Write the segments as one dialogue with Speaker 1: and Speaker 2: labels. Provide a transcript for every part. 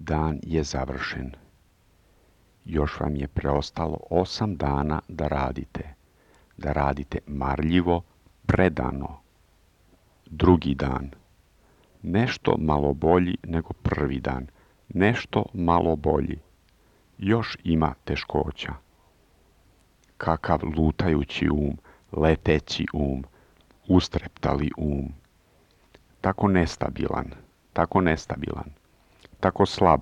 Speaker 1: dan je završen. Još vam je preostalo 8 dana da radite marljivo, predano. Drugi dan. Nešto malo bolji nego prvi dan. Nešto malo bolji. Još ima teškoća. Kakav lutajući leteći ustreptali tako nestabilan, tako slab,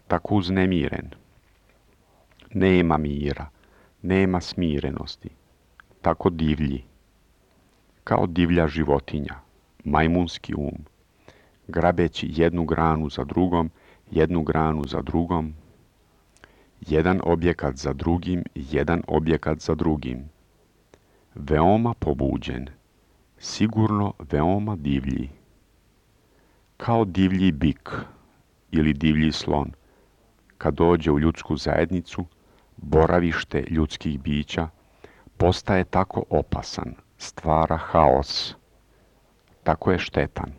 Speaker 1: tako uznemiren. Nema mira, nema smirenosti, tako divlji, kao divlja životinja, majmunski grabeći jednu granu za drugom, jedan objekat za drugim, veoma pobuđen, sigurno veoma divlji, kao divlji bik ili divlji slon, kad dođe u ljudsku zajednicu, boravište ljudskih bića, postaje tako opasan, stvara haos, tako je štetan.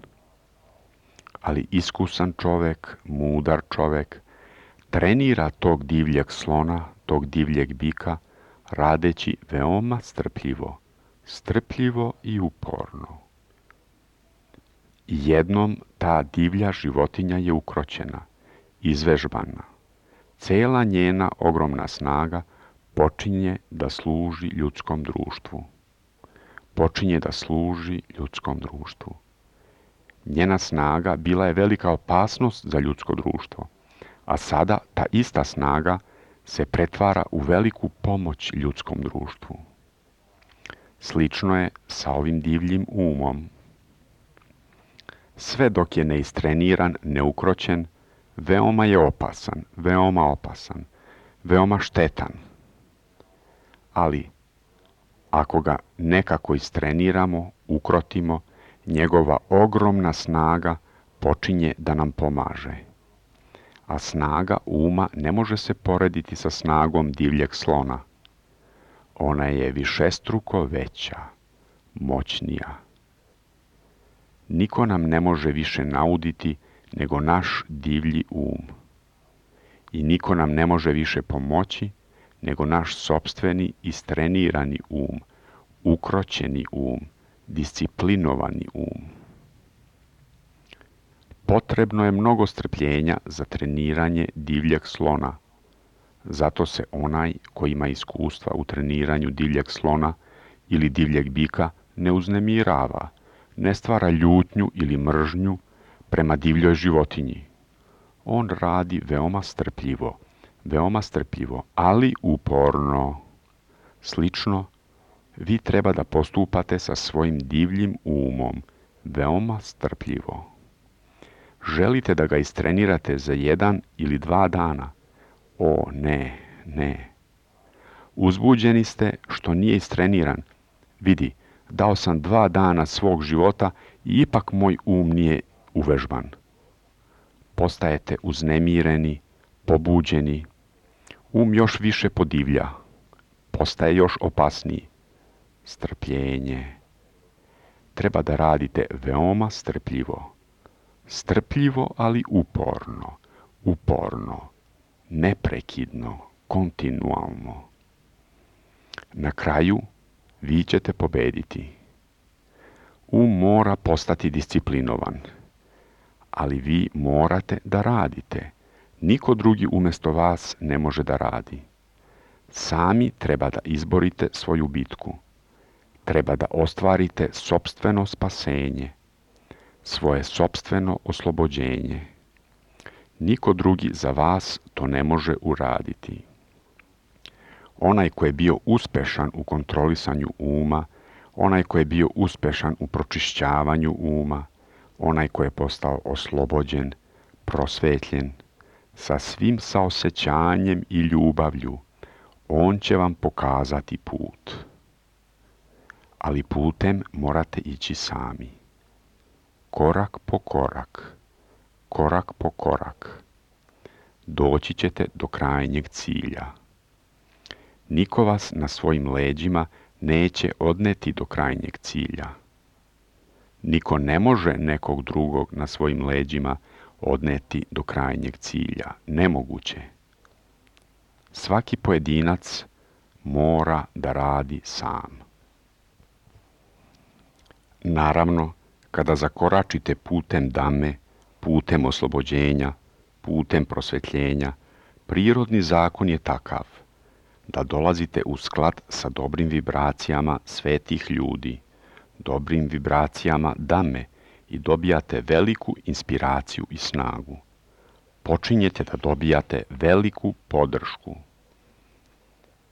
Speaker 1: Ali iskusan čovek, mudar čovek, trenira tog divljeg slona, tog divljeg bika, radeći veoma strpljivo i uporno. Jednom ta divlja životinja je ukroćena, izvežbana. Cela njena ogromna snaga počinje da služi ljudskom društvu. Njena snaga bila je velika opasnost za ljudsko društvo, a sada ta ista snaga se pretvara u veliku pomoć ljudskom društvu. Slično je sa ovim divljim umom. Sve dok je neistreniran, neukroćen, veoma je opasan, veoma štetan. Ali, ako ga nekako istreniramo, ukrotimo, njegova ogromna snaga počinje da nam pomaže. A snaga uma ne može se porediti sa snagom divljeg slona. Ona je višestruko veća, moćnija. Niko nam ne može više nauditi nego naš divlji I niko nam ne može više pomoći nego naš sopstveni istrenirani ukroćeni disciplinovani Potrebno je mnogo strpljenja za treniranje divljeg slona. Zato se onaj koji ima iskustva u treniranju divljeg slona ili divljeg bika ne uznemirava, ne stvara ljutnju ili mržnju prema divljoj životinji. On radi veoma strpljivo, ali uporno. Slično, vi treba da postupate sa svojim divljim veoma strpljivo. Želite da ga istrenirate za 1 ili 2 dana? O, ne. Uzbuđeni ste što nije istreniran. Vidi, dao sam 2 dana svog života i ipak moj nije uvežban. Postajete uznemireni, pobuđeni. Još više podivlja. Postaje još opasniji. Strpljenje. Treba da radite veoma strpljivo, ali uporno, neprekidno, kontinualno. Na kraju vi ćete pobediti. Mora postati disciplinovan, ali vi morate da radite. Niko drugi umjesto vas ne može da radi. Sami treba da izborite svoju bitku. Treba da ostvarite sopstveno spasenje, svoje sopstveno oslobođenje. Niko drugi za vas to ne može uraditi. Onaj ko je bio uspešan u kontrolisanju onaj ko je bio uspešan u pročišćavanju onaj ko je postao oslobođen, prosvetljen, sa svim saosećanjem i ljubavlju, on će vam pokazati put. Ali putem morate ići sami. Korak po korak. Doći ćete do krajnjeg cilja. Niko vas na svojim leđima neće odneti do krajnjeg cilja. Niko ne može nekog drugog na svojim leđima odneti do krajnjeg cilja. Nemoguće. Svaki pojedinac mora da radi sam. Naravno, kada zakoračite putem dame, putem oslobođenja, putem prosvetljenja, prirodni zakon je takav da dolazite u sklad sa dobrim vibracijama svetih ljudi, dobrim vibracijama dame i dobijate veliku inspiraciju i snagu. Počinjete da dobijate veliku podršku.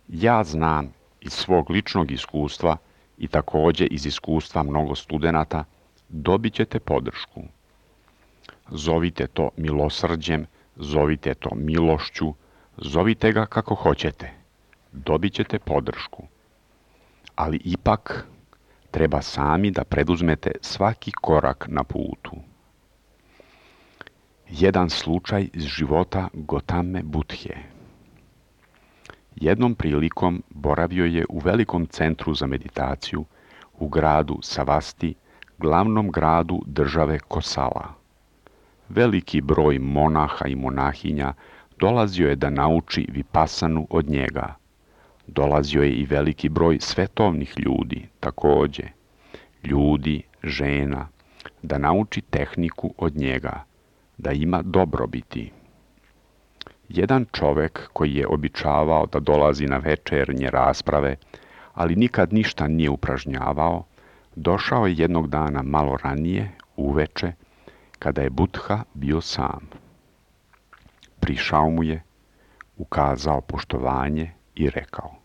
Speaker 1: Ja znam iz svog ličnog iskustva i također iz iskustva mnogo studenata, dobit ćete podršku. Zovite to milosrđem, zovite to milošću, zovite ga kako hoćete. Dobit ćete podršku. Ali ipak treba sami da preduzmete svaki korak na putu. Jedan slučaj iz života Gotame Budhe. Jednom prilikom boravio je u velikom centru za meditaciju u gradu Savasti, glavnom gradu države Kosala. Veliki broj monaha i monahinja dolazio je da nauči vipasanu od njega. Dolazio je i veliki broj svetovnih ljudi, također, ljudi, žena, da nauči tehniku od njega, da ima dobrobiti. Jedan čovjek koji je običavao da dolazi na večernje rasprave, ali nikad ništa nije upražnjavao, došao je jednog dana malo ranije, uveče, kada je Budha bio sam. Prišao mu je, ukazao poštovanje i rekao: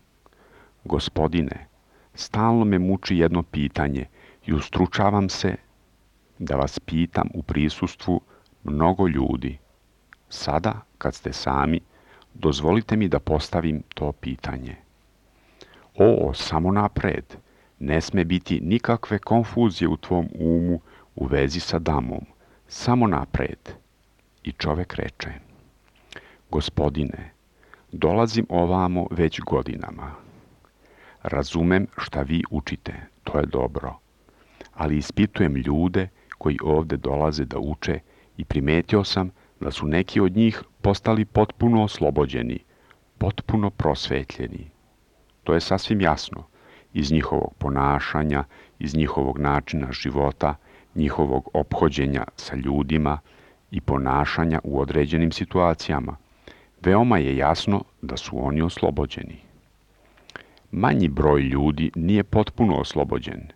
Speaker 1: Gospodine, stalno me muči jedno pitanje i ustručavam se da vas pitam u prisustvu mnogo ljudi. Sada, kad ste sami, dozvolite mi da postavim to pitanje. Samo napred, ne sme biti nikakve konfuzije u tvom umu u vezi sa damom. Samo napred. I čovjek reče: Gospodine, dolazim ovamo već godinama. Razumem šta vi učite, to je dobro, ali ispitujem ljude koji ovdje dolaze da uče i primetio sam da su neki od njih postali potpuno oslobođeni, potpuno prosvetljeni. To je sasvim jasno iz njihovog ponašanja, iz njihovog načina života, njihovog ophođenja sa ljudima i ponašanja u određenim situacijama. Veoma je jasno da su oni oslobođeni. Manji broj ljudi nije potpuno oslobođen.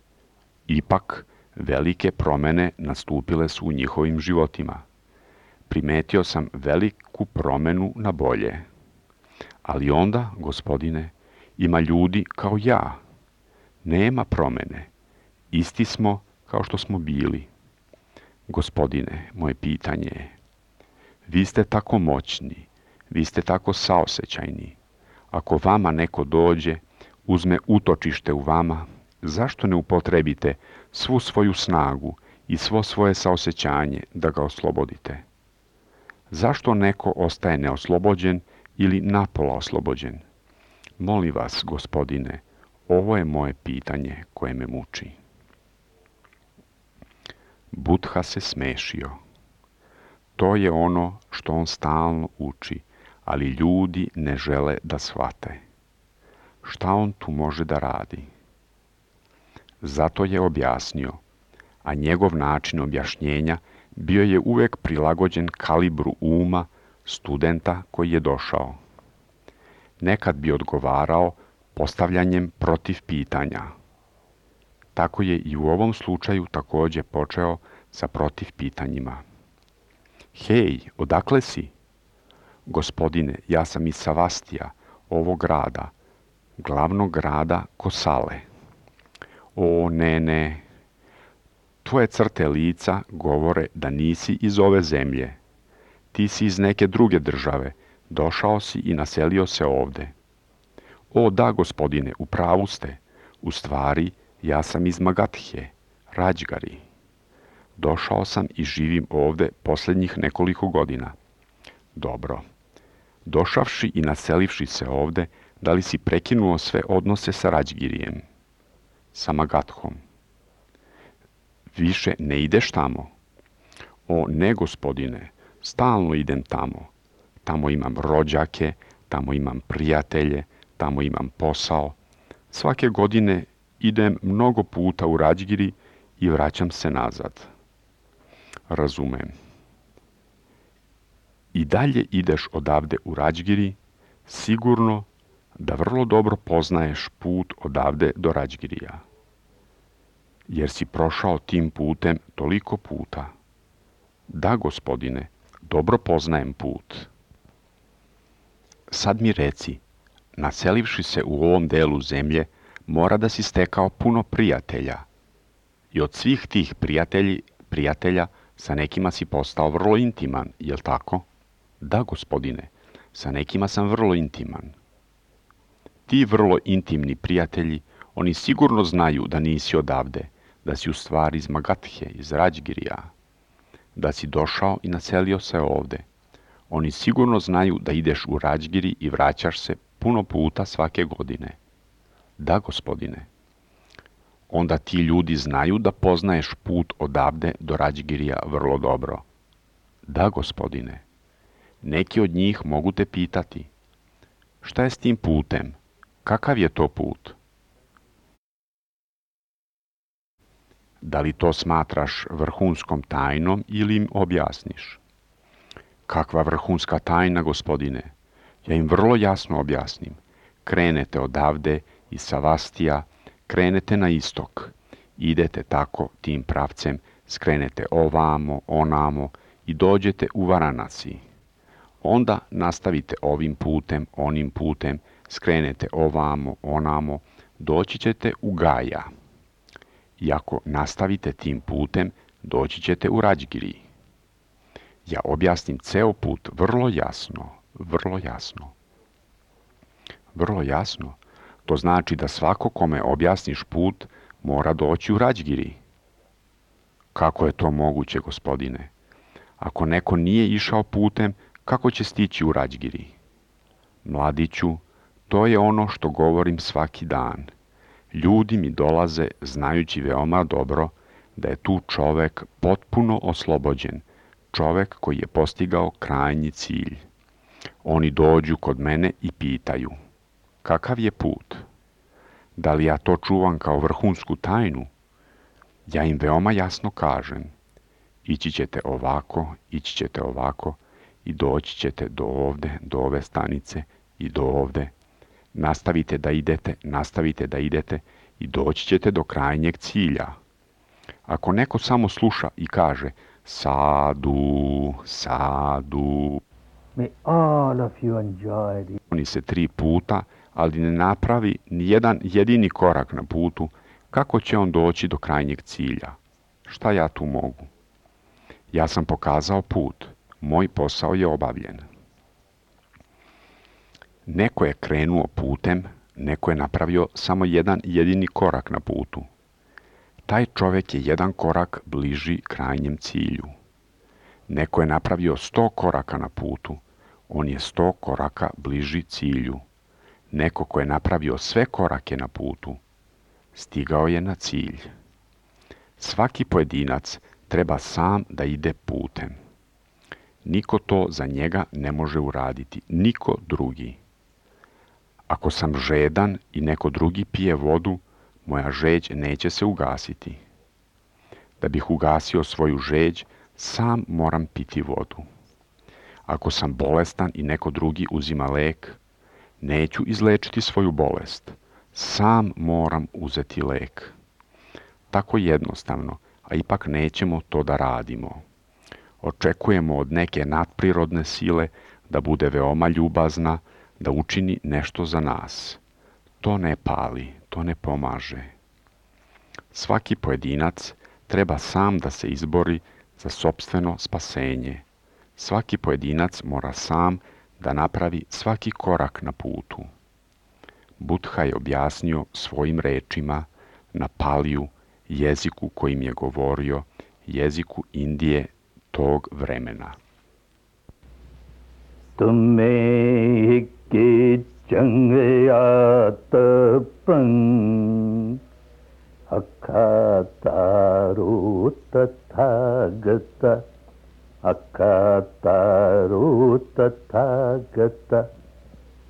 Speaker 1: Ipak, velike promjene nastupile su u njihovim životima. Primetio sam veliku promjenu na bolje. Ali onda, gospodine, ima ljudi kao ja. Nema promjene. Isti smo kao što smo bili. Gospodine, moje pitanje je: vi ste tako moćni, vi ste tako saosećajni. Ako vama neko dođe, uzme utočište u vama, zašto ne upotrebite svu svoju snagu i svo svoje saosećanje da ga oslobodite? Zašto neko ostaje neoslobođen ili napola oslobođen? Molim vas, gospodine, ovo je moje pitanje koje me muči. Budha se smešio. To je ono što on stalno uči, ali ljudi ne žele da shvate. Šta on tu može da radi? Zato je objasnio, a njegov način objašnjenja bio je uvijek prilagođen kalibru uma studenta koji je došao. Nekad bi odgovarao postavljanjem protiv pitanja. Tako je i u ovom slučaju također počeo sa protiv pitanjima. Hej, odakle si? Gospodine, ja sam iz Savastija, ovog grada, glavnog grada Kosale. Ne. Tvoje crte lica govore da nisi iz ove zemlje. Ti si iz neke druge države, došao si i naselio se ovdje. Da, gospodine, u pravu ste. U stvari, ja sam iz Magadhe, Rađgari. Došao sam i živim ovdje posljednjih nekoliko godina. Dobro. Došavši i naselivši se ovdje, da li si prekinuo sve odnose sa Rađgirijem? Sa Magadhom? Više ne ideš tamo? Ne, gospodine, Stalno idem tamo. Tamo imam rođake, tamo imam prijatelje, tamo imam posao. Svake godine idem mnogo puta u Rađgiri i vraćam se nazad. Razumem. I dalje ideš odavde u Rađgiri, sigurno da vrlo dobro poznaješ put odavde do Rađgirija. Jer si prošao tim putem toliko puta. Da, gospodine, dobro poznajem put. Sad mi reci, naselivši se u ovom delu zemlje, mora da si stekao puno prijatelja. I od svih tih prijatelja, sa nekima si postao vrlo intiman, jel tako? Da, gospodine, sa nekima sam vrlo intiman. Ti vrlo intimni prijatelji, oni sigurno znaju da nisi odavde, da si u stvari iz Magathe, iz Rađgirija, da si došao i naselio se ovde. Oni sigurno znaju da ideš u Rađgiri i vraćaš se puno puta svake godine. Da, gospodine. Onda ti ljudi znaju da poznaješ put odavde do Rađgirija vrlo dobro. Da, gospodine. Neki od njih mogu te pitati. Šta je s tim putem? Kakav je to put? Da li to smatraš vrhunskom tajnom ili im objasniš? Kakva vrhunska tajna, gospodine? Ja im vrlo jasno objasnim. Krenete odavde iz Savastija, krenete na istok. Idete tako tim pravcem, skrenete ovamo, onamo i dođete u Varanasi. Onda nastavite ovim putem, onim putem, skrenete ovamo, onamo, doći ćete u Gaja. I ako nastavite tim putem, doći ćete u Rađgiri. Ja objasnim ceo put vrlo jasno, vrlo jasno. Vrlo jasno? To znači da svako kome objasniš put mora doći u Rađgiri. Kako je to moguće, gospodine? Ako neko nije išao putem, kako će stići u Rađgiri? Mladiću, to je ono što govorim svaki dan. Ljudi mi dolaze znajući veoma dobro da je tu čovek potpuno oslobođen, čovek koji je postigao krajnji cilj. Oni dođu kod mene i pitaju, kakav je put? Da li ja to čuvam kao vrhunsku tajnu? Ja im veoma jasno kažem, ići ćete ovako i doći ćete do ovde, do ove stanice i do ovde. Nastavite da idete i doći ćete do krajnjeg cilja. Ako neko samo sluša i kaže sadu, sadu,
Speaker 2: May all of you enjoy the
Speaker 1: oni se 3 puta, ali ne napravi ni jedan jedini korak na putu, kako će on doći do krajnjeg cilja? Šta ja tu mogu? Ja sam pokazao put, moj posao je obavljen. Neko je krenuo putem, neko je napravio samo jedan jedini korak na putu. Taj čovjek je jedan korak bliži krajnjem cilju. Neko je napravio 100 koraka na putu, on je 100 koraka bliži cilju. Neko ko je napravio sve korake na putu, stigao je na cilj. Svaki pojedinac treba sam da ide putem. Niko to za njega ne može uraditi, niko drugi. Ako sam žedan i neko drugi pije vodu, moja žeđ neće se ugasiti. Da bih ugasio svoju žeđ, sam moram piti vodu. Ako sam bolestan i neko drugi uzima lek, neću izlečiti svoju bolest. Sam moram uzeti lek. Tako jednostavno, a ipak nećemo to da radimo. Očekujemo od neke nadprirodne sile da bude veoma ljubazna, da učini nešto za nas. To ne pali, to ne pomaže. Svaki pojedinac treba sam da se izbori za sopstveno spasenje. Svaki pojedinac mora sam da napravi svaki korak na putu. Buddha je objasnio svojim rečima na paliju, jeziku kojim je govorio, jeziku Indije tog vremena.
Speaker 2: Tumme ke changyat prang akataru tathagata akataru tathagata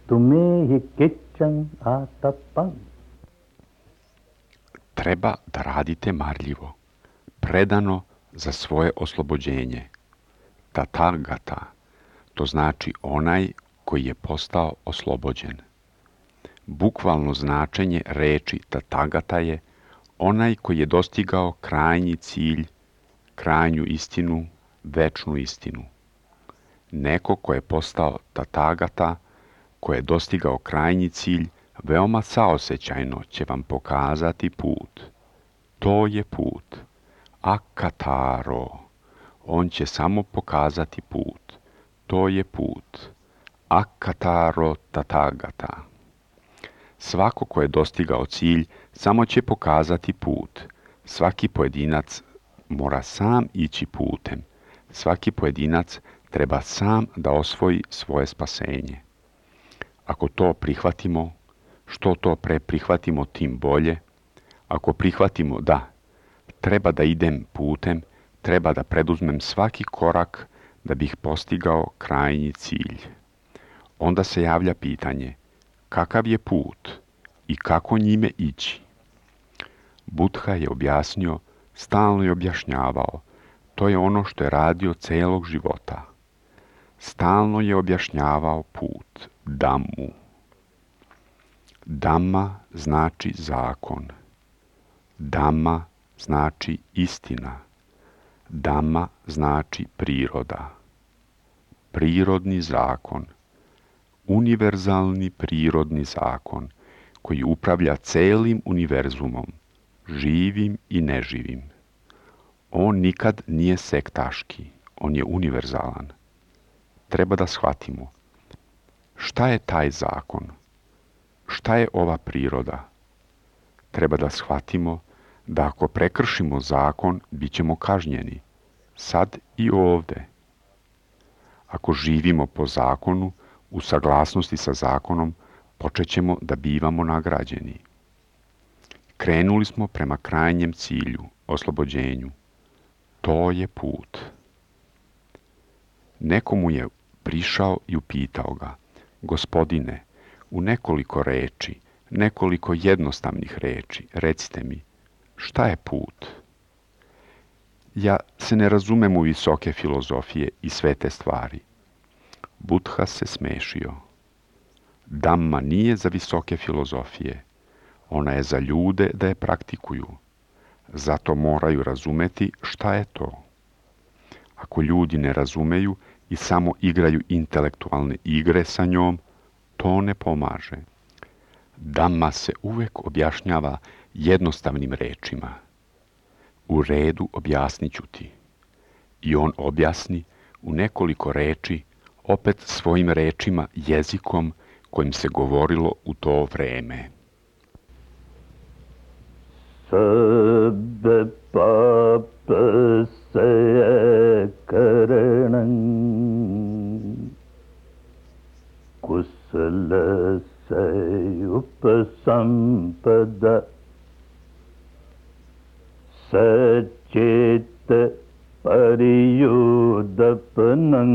Speaker 2: tumehi kiccang atapang.
Speaker 1: Treba da radite marljivo, predano za svoje oslobođenje. Tathagata, to znači onaj koji je postao oslobođen. Bukvalno značenje reči Tathagata je onaj koji je dostigao krajnji cilj, krajnju istinu, večnu istinu. Neko ko je postao Tathagata, ko je dostigao krajnji cilj, veoma saosećajno će vam pokazati put. To je put. Akataro. On će samo pokazati put. To je put. Akataro Tathagata. Svako ko je dostigao cilj samo će pokazati put. Svaki pojedinac mora sam ići putem. Svaki pojedinac treba sam da osvoji svoje spasenje. Ako to prihvatimo, što to pre prihvatimo, tim bolje. Ako prihvatimo da treba da idem putem, treba da preduzmem svaki korak da bih postigao krajnji cilj. Onda se javlja pitanje, kakav je put i kako njime ići? Buddha je objasnio, stalno je objašnjavao, to je ono što je radio celog života. Stalno je objašnjavao put, Dhammu. Dhamma znači zakon. Dhamma znači istina. Dhamma znači priroda. Prirodni zakon. Univerzalni prirodni zakon koji upravlja celim univerzumom, živim i neživim. On nikad nije sektaški, on je univerzalan. Treba da shvatimo. Šta je taj zakon? Šta je ova priroda? Treba da shvatimo da ako prekršimo zakon, bit ćemo kažnjeni. Sad i ovde. Ako živimo po zakonu, u saglasnosti sa zakonom, počećemo da bivamo nagrađeni. Krenuli smo prema krajnjem cilju, oslobođenju. To je put. Neko mu je prišao i upitao ga, Gospodine, u nekoliko reči, nekoliko jednostavnih reči, recite mi, šta je put? Ja se ne razumem u visoke filozofije i svete stvari. Buddha se smešio. Dhamma nije za visoke filozofije. Ona je za ljude da je praktikuju. Zato moraju razumeti šta je to. Ako ljudi ne razumeju i samo igraju intelektualne igre sa njom, to ne pomaže. Dhamma se uvek objašnjava jednostavnim rečima. U redu objasnit ću ti. I on objasni u nekoliko reči, opet svojim rečima, jezikom kojim se govorilo u to vreme.
Speaker 2: Sabbe papa se karanam kusala se upasampada saceta pariyudapanam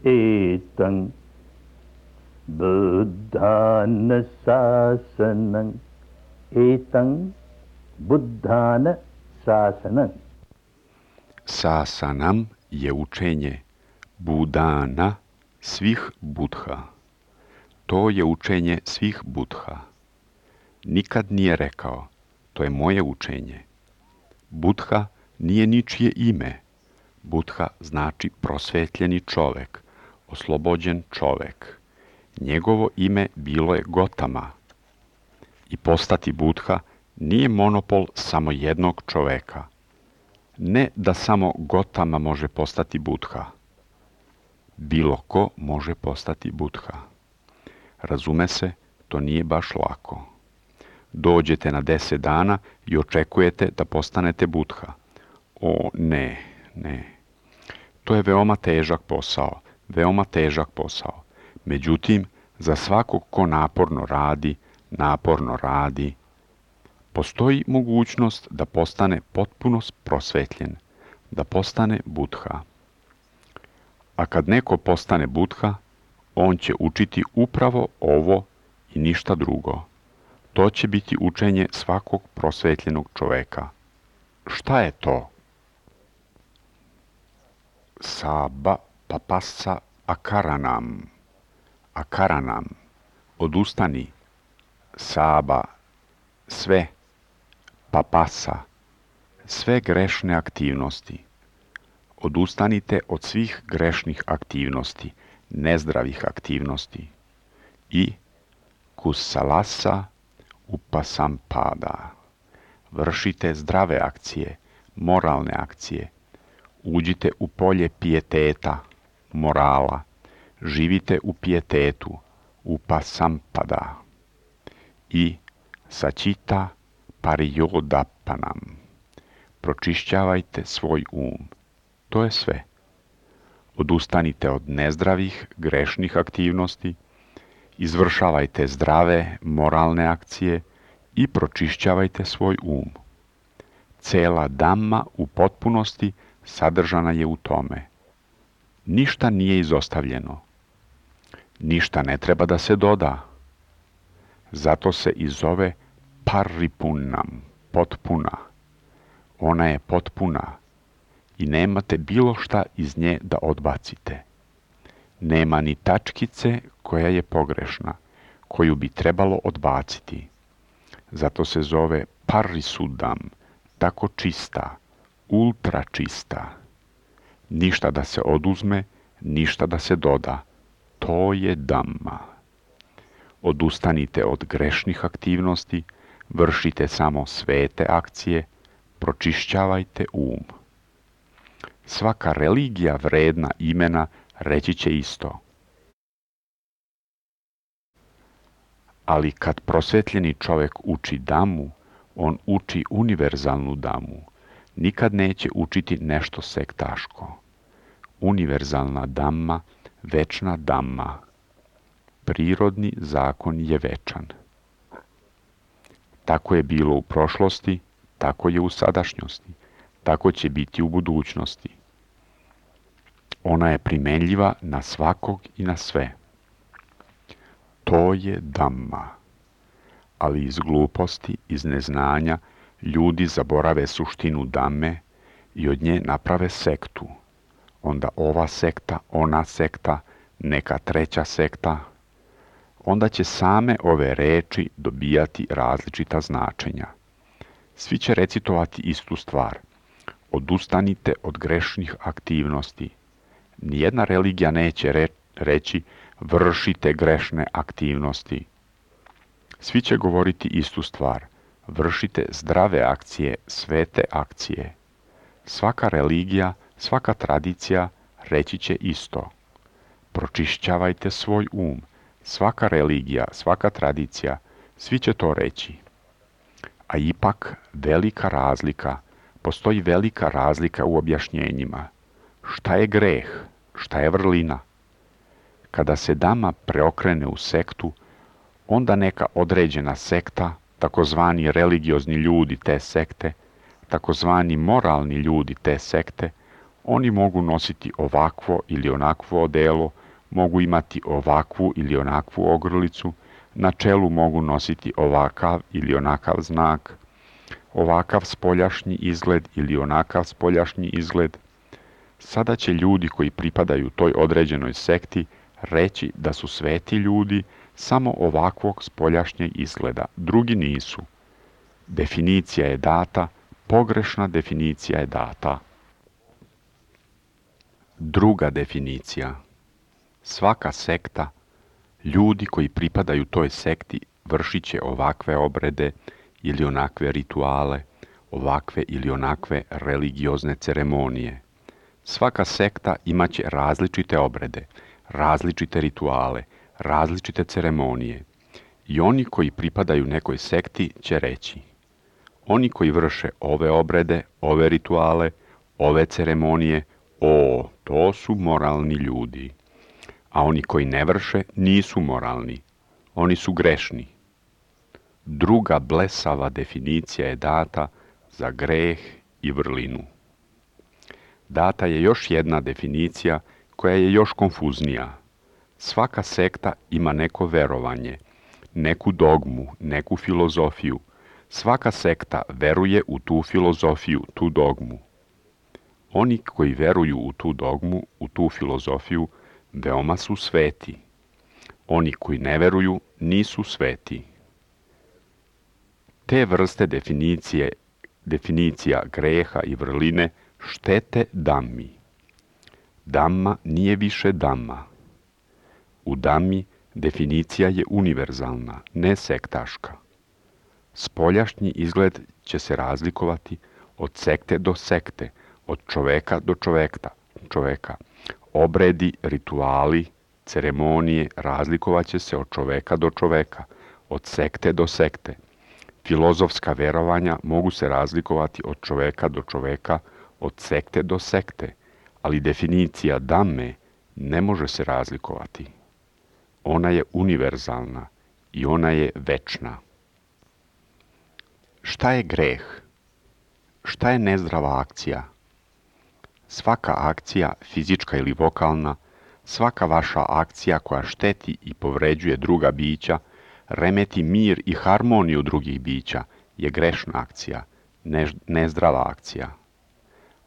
Speaker 2: etang buddhana sasanam etang buddhana sasanam.
Speaker 1: Sasanam je učenje Budana svih Buddha. To je učenje svih Buddha. Nikad nije rekao, to je moje učenje. Buddha nije ničije ime. Buddha znači prosvetljeni čovek, oslobođen čovek. Njegovo ime bilo je Gotama. I postati Buddha nije monopol samo jednog čoveka. Ne da samo Gotama može postati Buddha. Bilo ko može postati Buddha. Razume se, to nije baš lako. Dođete na 10 dana i očekujete da postanete Buddha. O, ne. To je veoma težak posao. Međutim, za svakog ko naporno radi, postoji mogućnost da postane potpuno prosvetljen, da postane Buddha. A kad neko postane Buddha, on će učiti upravo ovo i ništa drugo. To će biti učenje svakog prosvetljenog čoveka. Šta je to? Saba papassa akaranam. Akaranam. Odustani. Saba. Sve. Papassa. Sve grešne aktivnosti. Odustanite od svih grešnih aktivnosti, nezdravih aktivnosti. I kusalasa upasampada. Vršite zdrave akcije, moralne akcije. Uđite u polje pijeteta, morala. Živite u pijetetu, upasampada. I sačita pariyodapanam. Pročišćavajte svoj um. To je sve. Odustanite od nezdravih, grešnih aktivnosti, izvršavajte zdrave, moralne akcije i pročišćavajte svoj um. Cela Dhamma u potpunosti sadržana je u tome. Ništa nije izostavljeno. Ništa ne treba da se doda. Zato se i zove paripunnam, potpuna. Ona je potpuna i nemate bilo šta iz nje da odbacite. Nema ni tačkice koja je pogrešna, koju bi trebalo odbaciti. Zato se zove parisuddham, tako čista, ultra čista. Ništa da se oduzme, ništa da se doda. To je Dhamma. Odustanite od grešnih aktivnosti, vršite samo svete akcije, pročišćavajte um. Svaka religija vredna imena reći će isto. Ali kad prosvetljeni čovjek uči Dhammu, on uči univerzalnu Dhammu. Nikad neće učiti nešto sektaško. Univerzalna Dhamma, večna Dhamma. Prirodni zakon je večan. Tako je bilo u prošlosti, tako je u sadašnjosti, tako će biti u budućnosti. Ona je primenljiva na svakog i na sve. To je Dhamma. Ali iz gluposti, iz neznanja, ljudi zaborave suštinu Dhamme i od nje naprave sektu. Onda ova sekta, ona sekta, neka treća sekta. Onda će same ove reči dobijati različita značenja. Svi će recitovati istu stvar. Odustanite od grešnih aktivnosti. Nijedna religija neće reći vršite grešne aktivnosti. Svi će govoriti istu stvar. Vršite zdrave akcije, svete akcije. Svaka religija, svaka tradicija reći će isto. Pročišćavajte svoj um. Svaka religija, svaka tradicija, svi će to reći. A ipak velika razlika, postoji velika razlika u objašnjenjima. Šta je greh? Šta je vrlina? Kada se Dhamma preokrene u sektu, onda neka određena sekta, takozvani religiozni ljudi te sekte, takozvani moralni ljudi te sekte, oni mogu nositi ovakvo ili onakvo odelo, mogu imati ovakvu ili onakvu ogrlicu, na čelu mogu nositi ovakav ili onakav znak, ovakav spoljašnji izgled ili onakav spoljašnji izgled. Sada će ljudi koji pripadaju toj određenoj sekti reći da su sveti ljudi samo ovakvog spoljašnjeg izgleda, drugi nisu. Definicija je data, pogrešna definicija je data. Druga definicija. Svaka sekta, ljudi koji pripadaju toj sekti vršit će ovakve obrede ili onakve rituale, ovakve ili onakve religiozne ceremonije. Svaka sekta imat će različite obrede, različite rituale, različite ceremonije. I oni koji pripadaju nekoj sekti će reći: oni koji vrše ove obrede, ove rituale, ove ceremonije, to su moralni ljudi. A oni koji ne vrše nisu moralni, oni su grešni. Druga blesava definicija je data za greh i vrlinu. Data je još jedna definicija koja je još konfuznija. Svaka sekta ima neko verovanje, neku dogmu, neku filozofiju. Svaka sekta veruje u tu filozofiju, tu dogmu. Oni koji veruju u tu dogmu, u tu filozofiju, veoma su sveti. Oni koji ne veruju nisu sveti. Te vrste definicija greha i vrline štete Dhammi. Dhamma nije više Dhamma. U Dhammi definicija je univerzalna, ne sektaška. Spoljašnji izgled će se razlikovati od sekte do sekte, od čoveka do čoveka. Obredi, rituali, ceremonije razlikovat će se od čoveka do čoveka, od sekte do sekte. Filozofska verovanja mogu se razlikovati od čoveka do čoveka, od sekte do sekte, ali definicija Dhamme ne može se razlikovati. Ona je univerzalna i ona je večna. Šta je greh? Šta je nezdrava akcija? Svaka akcija, fizička ili vokalna, svaka vaša akcija koja šteti i povređuje druga bića, remeti mir i harmoniju drugih bića, je grešna akcija, nezdrava akcija.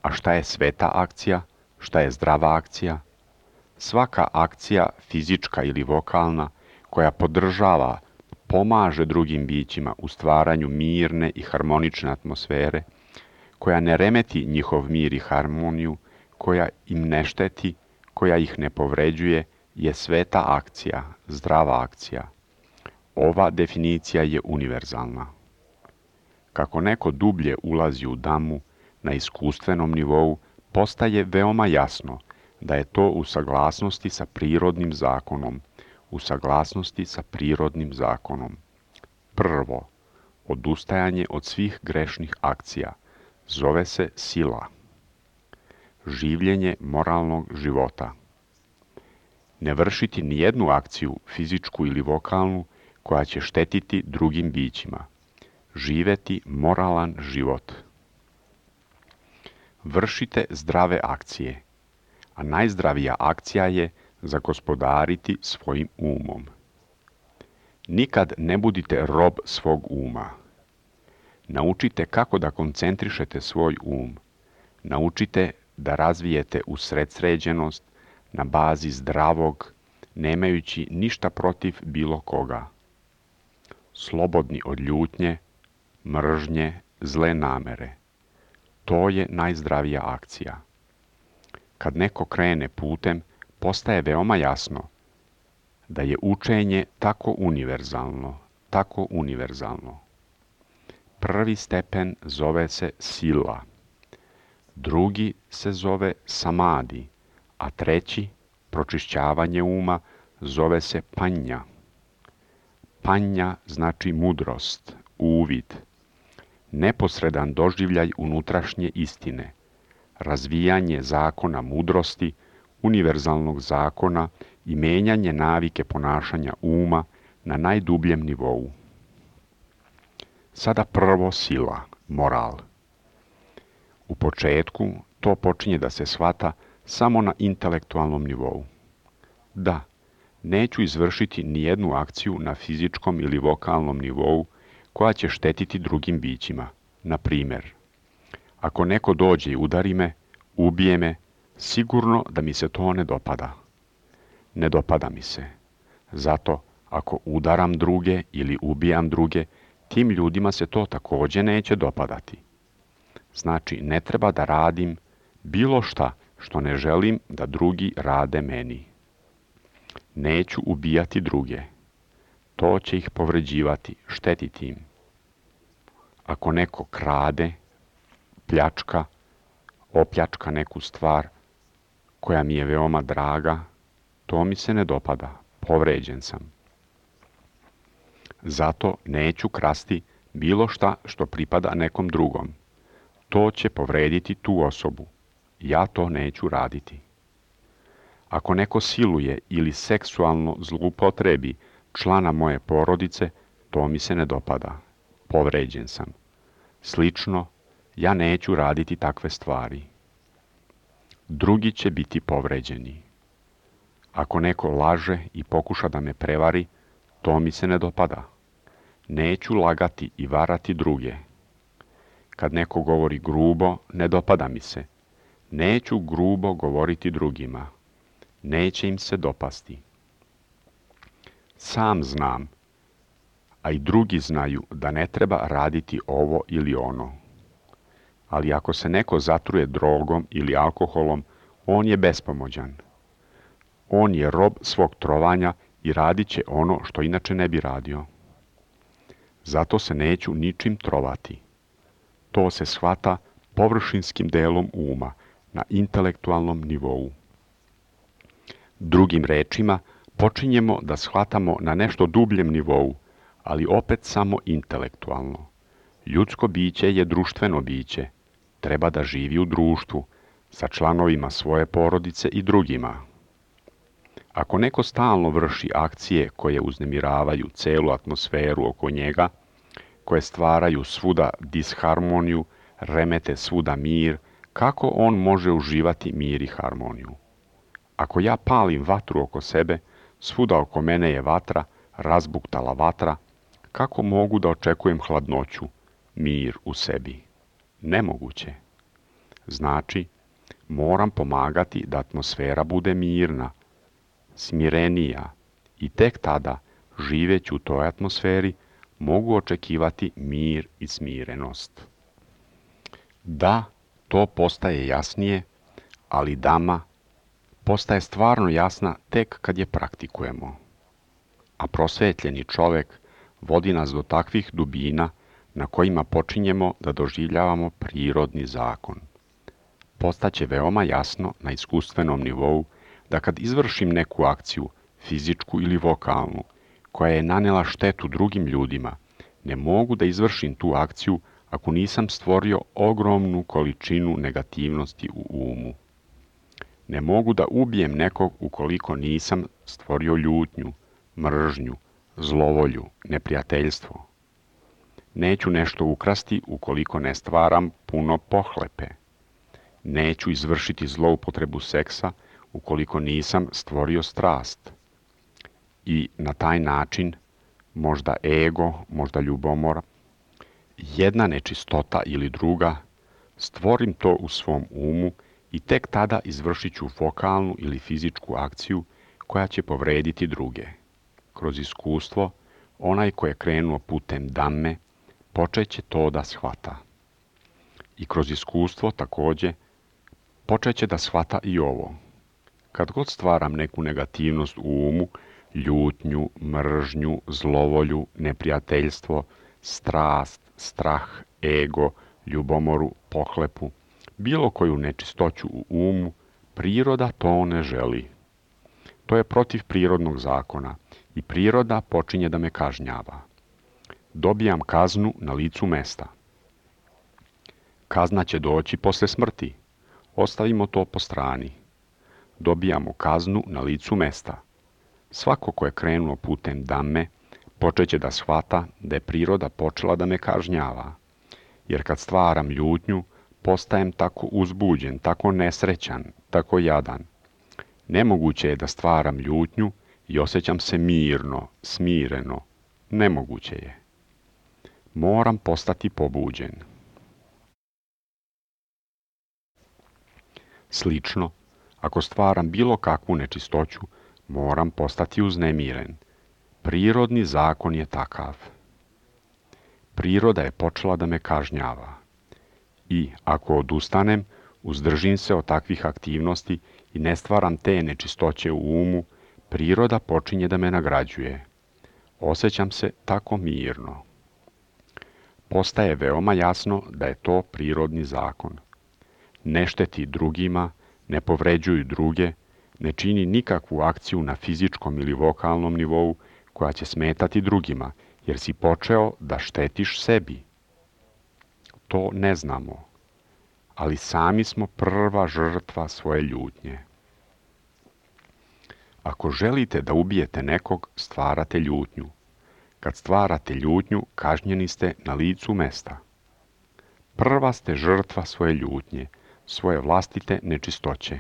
Speaker 1: A šta je sveta akcija? Šta je zdrava akcija? Svaka akcija, fizička ili vokalna, koja podržava, pomaže drugim bićima u stvaranju mirne i harmonične atmosfere, koja ne remeti njihov mir i harmoniju, koja im ne šteti, koja ih ne povređuje, je sveta akcija, zdrava akcija. Ova definicija je univerzalna. Kako neko dublje ulazi u Dhammu na iskustvenom nivou, postaje veoma jasno da je to u saglasnosti sa prirodnim zakonom, Prvo, odustajanje od svih grešnih akcija zove se sila. Življenje moralnog života. Ne vršiti nijednu akciju, fizičku ili vokalnu, koja će štetiti drugim bićima. Živeti moralan život. Vršite zdrave akcije, a najzdravija akcija je zagospodariti svojim umom. Nikad ne budite rob svog uma. Naučite kako da koncentrišete svoj um. Naučite da razvijete usredsređenost na bazi zdravog, nemajući ništa protiv bilo koga. Slobodni od ljutnje, mržnje, zle namere. To je najzdravija akcija. Kad neko krene putem, postaje veoma jasno da je učenje tako univerzalno. Prvi stepen zove se sila, drugi se zove samadi, a treći, pročišćavanje uma, zove se panja. Panja znači mudrost, uvid, neposredan doživljaj unutrašnje istine, razvijanje zakona mudrosti, univerzalnog zakona i menjanje navike ponašanja uma na najdubljem nivou. Sada prvo sila, moral. U početku to počinje da se shvata samo na intelektualnom nivou. Da, neću izvršiti nijednu akciju na fizičkom ili vokalnom nivou koja će štetiti drugim bićima. Na primjer, ako neko dođe i udari me, ubije me, sigurno da mi se to ne dopada. Ne dopada mi se. Zato, ako udaram druge ili ubijam druge, tim ljudima se to također neće dopadati. Znači, ne treba da radim bilo šta što ne želim da drugi rade meni. Neću ubijati druge. To će ih povređivati, štetiti im. Ako neko krade, pljačka, opljačka neku stvar koja mi je veoma draga, to mi se ne dopada, povređen sam. Zato neću krasti bilo šta što pripada nekom drugom. To će povrediti tu osobu. Ja to neću raditi. Ako neko siluje ili seksualno zloupotrebi člana moje porodice, to mi se ne dopada. Povređen sam. Slično, ja neću raditi takve stvari. drugi će biti povređeni. Ako neko laže i pokuša da me prevari, to mi se ne dopada. Neću lagati i varati druge. Kad neko govori grubo, ne dopada mi se. Neću grubo govoriti drugima. Neće im se dopasti. Sam znam, a i drugi znaju da ne treba raditi ovo ili ono. Ali ako se neko zatruje drogom ili alkoholom, on je bespomoćan. On je rob svog trovanja i radit će ono što inače ne bi radio. Zato se neću ničim trovati. To se shvata površinskim delom uma, na intelektualnom nivou. Drugim rečima, počinjemo da shvatamo na nešto dubljem nivou, ali opet samo intelektualno. Ljudsko biće je društveno biće. Treba da živi u društvu, sa članovima svoje porodice i drugima. Ako neko stalno vrši akcije koje uznemiravaju celu atmosferu oko njega, koje stvaraju svuda disharmoniju, remete svuda mir, kako on može uživati mir i harmoniju? Ako ja palim vatru oko sebe, svuda oko mene je vatra, razbuktala vatra, kako mogu da očekujem hladnoću, mir u sebi? Nemoguće. Znači, moram pomagati da atmosfera bude mirna, smirenija i tek tada, živeći u toj atmosferi, mogu očekivati mir i smirenost. Da, to postaje jasnije, ali dama postaje stvarno jasna tek kad je praktikujemo. A prosvetljeni čovek vodi nas do takvih dubina na kojima počinjemo da doživljavamo prirodni zakon. Postaće veoma jasno na iskustvenom nivou da kad izvršim neku akciju, fizičku ili vokalnu, koja je nanela štetu drugim ljudima, ne mogu da izvršim tu akciju ako nisam stvorio ogromnu količinu negativnosti u umu. Ne mogu da ubijem nekog ukoliko nisam stvorio ljutnju, mržnju, zlovolju, neprijateljstvo. Neću nešto ukrasti ukoliko ne stvaram puno pohlepe. Neću izvršiti zloupotrebu seksa ukoliko nisam stvorio strast. I na taj način, možda ego, možda ljubomora, jedna nečistota ili druga, stvorim to u svom umu i tek tada izvršit ću vokalnu ili fizičku akciju koja će povrediti druge. Kroz iskustvo, onaj ko je krenuo putem damme, počet će to da shvata. I kroz iskustvo također počet će da shvata i ovo. Kad god stvaram neku negativnost u umu, ljutnju, mržnju, zlovolju, neprijateljstvo, strast, strah, ego, ljubomoru, pohlepu, bilo koju nečistoću u umu, priroda to ne želi. To je protiv prirodnog zakona i priroda počinje da me kažnjava. Dobijam kaznu na licu mesta. Kazna će doći posle smrti. Ostavimo to po strani. Dobijamo kaznu na licu mesta. Svako ko je krenuo putem damme, počet će da shvata da je priroda počela da me kažnjava. Jer kad stvaram ljutnju, postajem tako uzbuđen, tako nesrećan, tako jadan. Nemoguće je da stvaram ljutnju i osjećam se mirno, smireno. Nemoguće je. Moram postati pobuđen. Slično, ako stvaram bilo kakvu nečistoću, moram postati uznemiren. Prirodni zakon je takav. Priroda je počela da me kažnjava. I ako odustanem, uzdržim se od takvih aktivnosti i ne stvaram te nečistoće u umu, priroda počinje da me nagrađuje. Osjećam se tako mirno. Postaje veoma jasno da je to prirodni zakon. Ne šteti drugima, ne povređuju druge, ne čini nikakvu akciju na fizičkom ili vokalnom nivou koja će smetati drugima, jer si počeo da štetiš sebi. To ne znamo, ali sami smo prva žrtva svoje ljutnje. Ako želite da ubijete nekog, stvarate ljutnju. Kad stvarate ljutnju, kažnjeni ste na licu mesta. Prva ste žrtva svoje ljutnje, svoje vlastite nečistoće.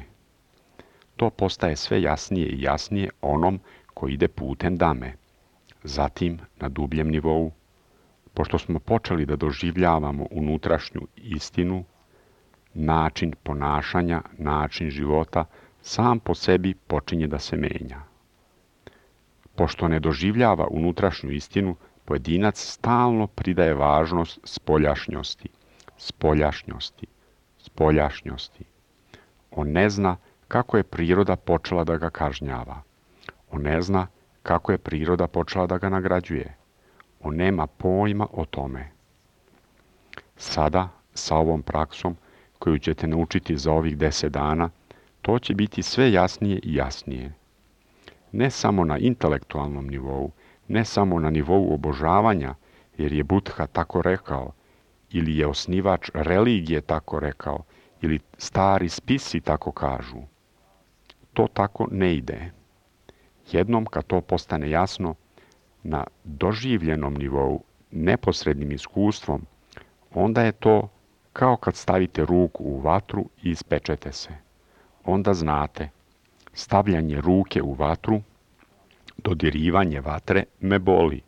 Speaker 1: To postaje sve jasnije i jasnije onom koji ide putem dame. Zatim, na dubljem nivou, pošto smo počeli da doživljavamo unutrašnju istinu, način ponašanja, način života, sam po sebi počinje da se menja. Pošto ne doživljava unutrašnju istinu, pojedinac stalno pridaje važnost spoljašnjosti. On ne zna kako je priroda počela da ga kažnjava. On ne zna kako je priroda počela da ga nagrađuje. On nema pojma o tome. Sada, sa ovom praksom koju ćete naučiti za ovih 10 dana, to će biti sve jasnije i jasnije. Ne samo na intelektualnom nivou, ne samo na nivou obožavanja, jer je Buddha tako rekao, ili je osnivač religije tako rekao, ili stari spisi tako kažu. To tako ne ide. Jednom kad to postane jasno, na doživljenom nivou, neposrednim iskustvom, onda je to kao kad stavite ruku u vatru i ispečete se. Onda znate, stavljanje ruke u vatru, dodirivanje vatre me boli.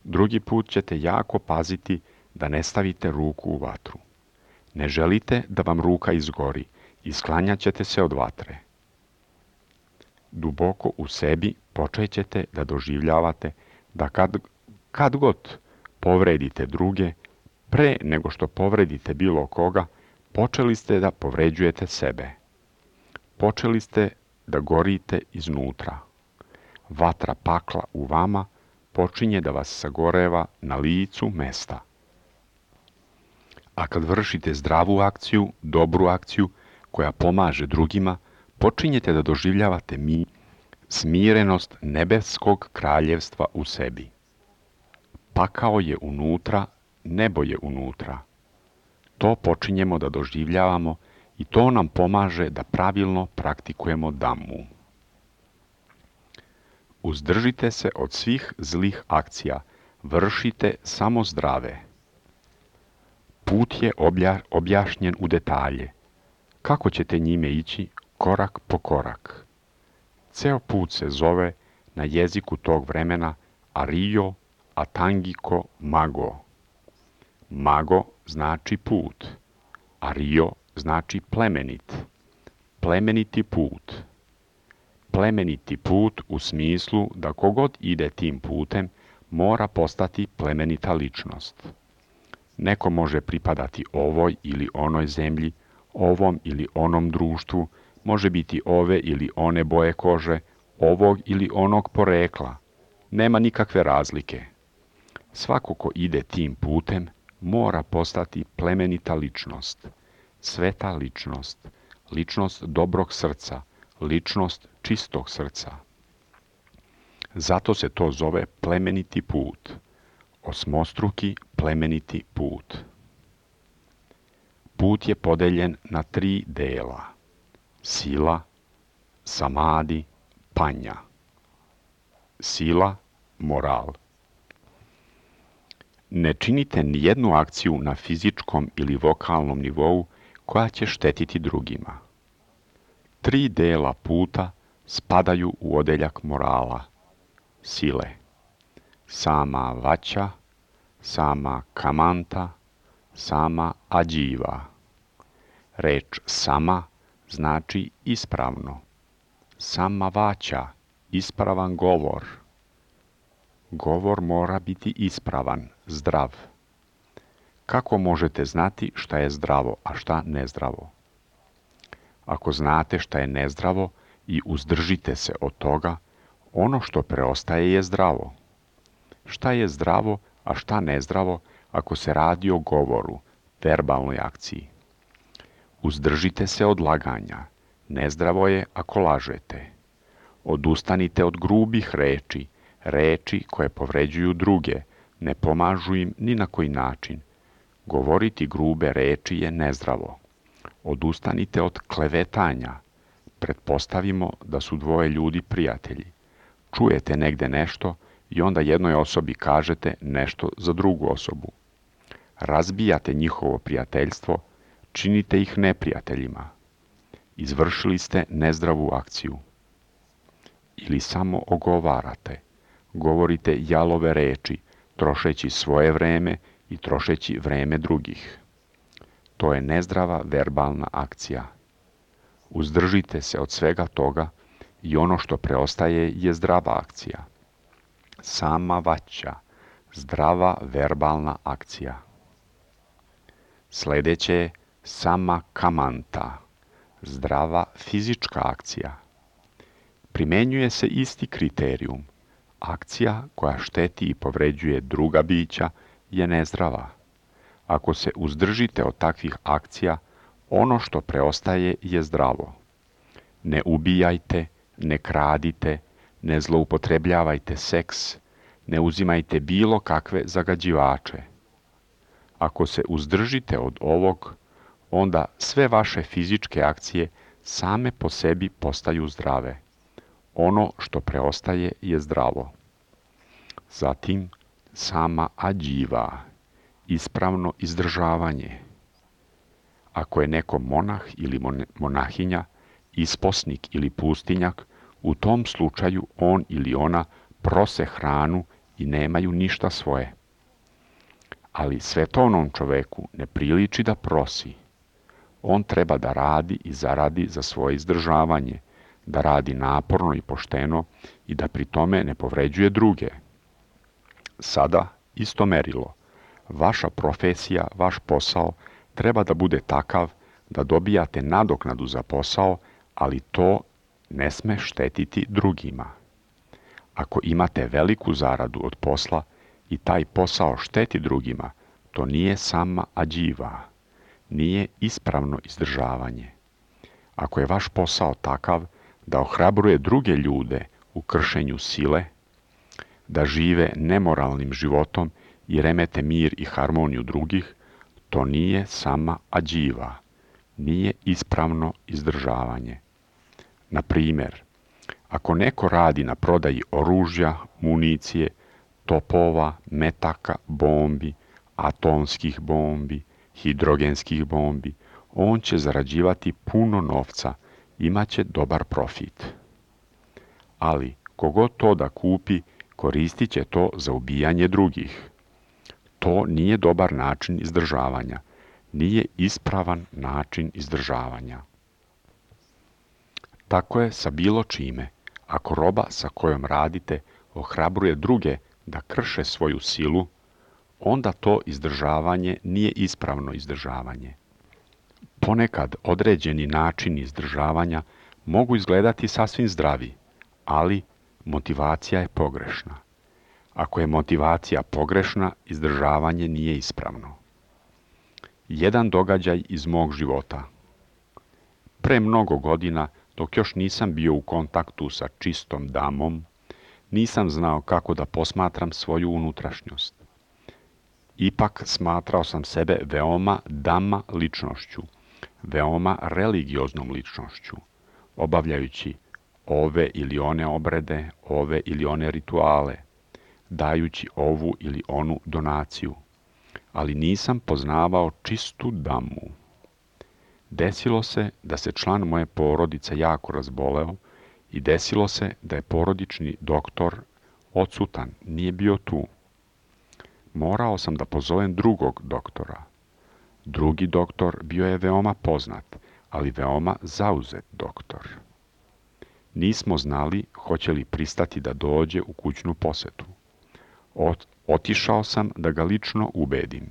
Speaker 1: Drugi put ćete jako paziti da ne stavite ruku u vatru. Ne želite da vam ruka izgori i sklanjat ćete se od vatre. Duboko u sebi počet ćete da doživljavate da kad god povredite druge, pre nego što povredite bilo koga, počeli ste da povređujete sebe. Počeli ste da gorite iznutra. Vatra pakla u vama počinje da vas sagoreva na licu mesta. A kad vršite zdravu akciju, dobru akciju, koja pomaže drugima, počinjete da doživljavate smirenost nebeskog kraljevstva u sebi. Pakao je unutra, nebo je unutra. To počinjemo da doživljavamo i to nam pomaže da pravilno praktikujemo Dhammu. Uzdržite se od svih zlih akcija, vršite samo zdrave. Put je objašnjen u detalje. Kako ćete njime ići korak po korak? Ceo put se zove na jeziku tog vremena Ariyo Atangiko Mago. Mago znači put. Ariyo znači plemenit. Plemeniti put. Plemeniti put u smislu da kogod ide tim putem mora postati plemenita ličnost. Neko može pripadati ovoj ili onoj zemlji, ovom ili onom društvu, može biti ove ili one boje kože, ovog ili onog porekla. Nema nikakve razlike. Svako ko ide tim putem mora postati plemenita ličnost, sveta ličnost, ličnost dobrog srca, ličnost čistog srca. Zato se to zove plemeniti put, osmostruki plemeniti put. Put je podeljen na 3 dela: sila, samadi, panja. Sila, moral. Ne činite ni jednu akciju na fizičkom ili vokalnom nivou koja će štetiti drugima. 3 dela puta spadaju u odeljak morala, sile. Sama vača, sama kamanta, sama ađiva. Reč sama znači ispravno. Sama vača, ispravan govor. Govor mora biti ispravan, zdrav. Kako možete znati šta je zdravo, a šta nezdravo? Ako znate šta je nezdravo i uzdržite se od toga, ono što preostaje je zdravo. Šta je zdravo, a šta nezdravo ako se radi o govoru, verbalnoj akciji? Uzdržite se od laganja. Nezdravo je ako lažete. Odustanite od grubih reči, reči koje povređuju druge, ne pomažu im ni na koji način. Govoriti grube reči je nezdravo. Odustanite od klevetanja. Pretpostavimo da su 2 ljudi prijatelji. Čujete negde nešto i onda jednoj osobi kažete nešto za drugu osobu. Razbijate njihovo prijateljstvo, činite ih neprijateljima. Izvršili ste nezdravu akciju. Ili samo ogovarate, govorite jalove reči, trošeći svoje vreme i trošeći vreme drugih. To je nezdrava verbalna akcija. Uzdržite se od svega toga i ono što preostaje je zdrava akcija. Sama vaća, zdrava verbalna akcija. Sljedeće je sama kamanta, zdrava fizička akcija. Primenjuje se isti kriterijum. Akcija koja šteti i povređuje druga bića je nezdrava. Ako se uzdržite od takvih akcija, ono što preostaje je zdravo. Ne ubijajte, ne kradite, ne zloupotrebljavajte seks, ne uzimajte bilo kakve zagađivače. Ako se uzdržite od ovog, onda sve vaše fizičke akcije same po sebi postaju zdrave. Ono što preostaje je zdravo. Zatim, sama ađiva, ispravno izdržavanje. Ako je neko monah ili monahinja, isposnik ili pustinjak, u tom slučaju on ili ona prose hranu i nemaju ništa svoje. Ali svetovnom čoveku ne priliči da prosi. On treba da radi i zaradi za svoje izdržavanje, da radi naporno i pošteno i da pri tome ne povređuje druge. Sada isto merilo. Vaša profesija, vaš posao treba da bude takav da dobijate nadoknadu za posao, ali to ne sme štetiti drugima. Ako imate veliku zaradu od posla i taj posao šteti drugima, to nije sama ađiva, nije ispravno izdržavanje. Ako je vaš posao takav da ohrabruje druge ljude u kršenju sile, da žive nemoralnim životom i remete mir i harmoniju drugih, to nije sama ađiva, nije ispravno izdržavanje. Na primjer, ako neko radi na prodaji oružja, municije, topova, metaka, bombi, atomskih bombi, hidrogenskih bombi, on će zarađivati puno novca, imaće dobar profit. Ali, kogod to da kupi, koristit će to za ubijanje drugih. To nije dobar način izdržavanja, nije ispravan način izdržavanja. Tako je sa bilo čime. Ako roba sa kojom radite ohrabruje druge da krše svoju silu, onda to izdržavanje nije ispravno izdržavanje. Ponekad određeni načini izdržavanja mogu izgledati sasvim zdravi, ali motivacija je pogrešna. Ako je motivacija pogrešna, izdržavanje nije ispravno. Jedan događaj iz mog života. Pre mnogo godina, dok još nisam bio u kontaktu sa čistom damom, nisam znao kako da posmatram svoju unutrašnjost. Ipak smatrao sam sebe veoma dama ličnošću, veoma religioznom ličnošću, obavljajući ove ili one obrede, ove ili one rituale, dajući ovu ili onu donaciju, ali nisam poznavao čistu damu. Desilo se da se član moje porodice jako razboleo i desilo se da je porodični doktor odsutan, nije bio tu. Morao sam da pozovem drugog doktora. Drugi doktor bio je veoma poznat, ali veoma zauzet doktor. Nismo znali hoće li pristati da dođe u kućnu posetu. Otišao sam da ga lično ubedim.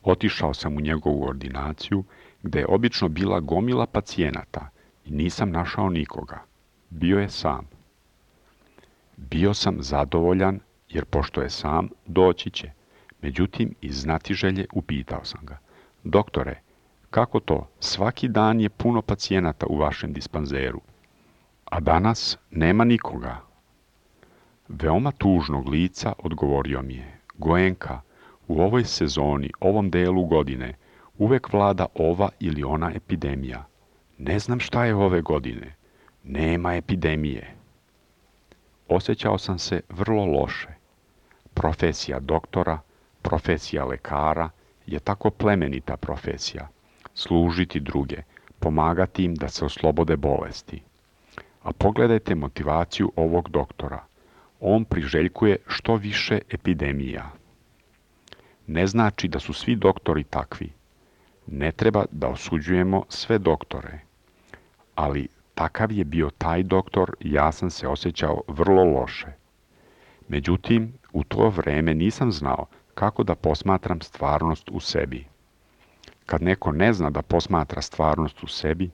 Speaker 1: Otišao sam u njegovu ordinaciju, gde je obično bila gomila pacijenata i nisam našao nikoga. Bio je sam. Bio sam zadovoljan, jer pošto je sam, doći će. Međutim, iz znatiželje upitao sam ga. Doktore, kako to? Svaki dan je puno pacijenata u vašem dispanzeru, a danas nema nikoga. Veoma tužnog lica odgovorio mi je. Goenka, u ovoj sezoni, ovom delu godine, uvek vlada ova ili ona epidemija. Ne znam šta je ove godine. Nema epidemije. Osjećao sam se vrlo loše. Profesija doktora, profesija lekara, je tako plemenita profesija. Služiti druge, pomagati im da se oslobode bolesti. A pogledajte motivaciju ovog doktora. On priželjkuje što više epidemija. Ne znači da su svi doktori takvi. Ne treba da osuđujemo sve doktore. Ali takav je bio taj doktor, ja sam se osjećao vrlo loše. Međutim, u to vreme nisam znao kako da posmatram stvarnost u sebi. Kad neko ne zna da posmatra stvarnost u sebi,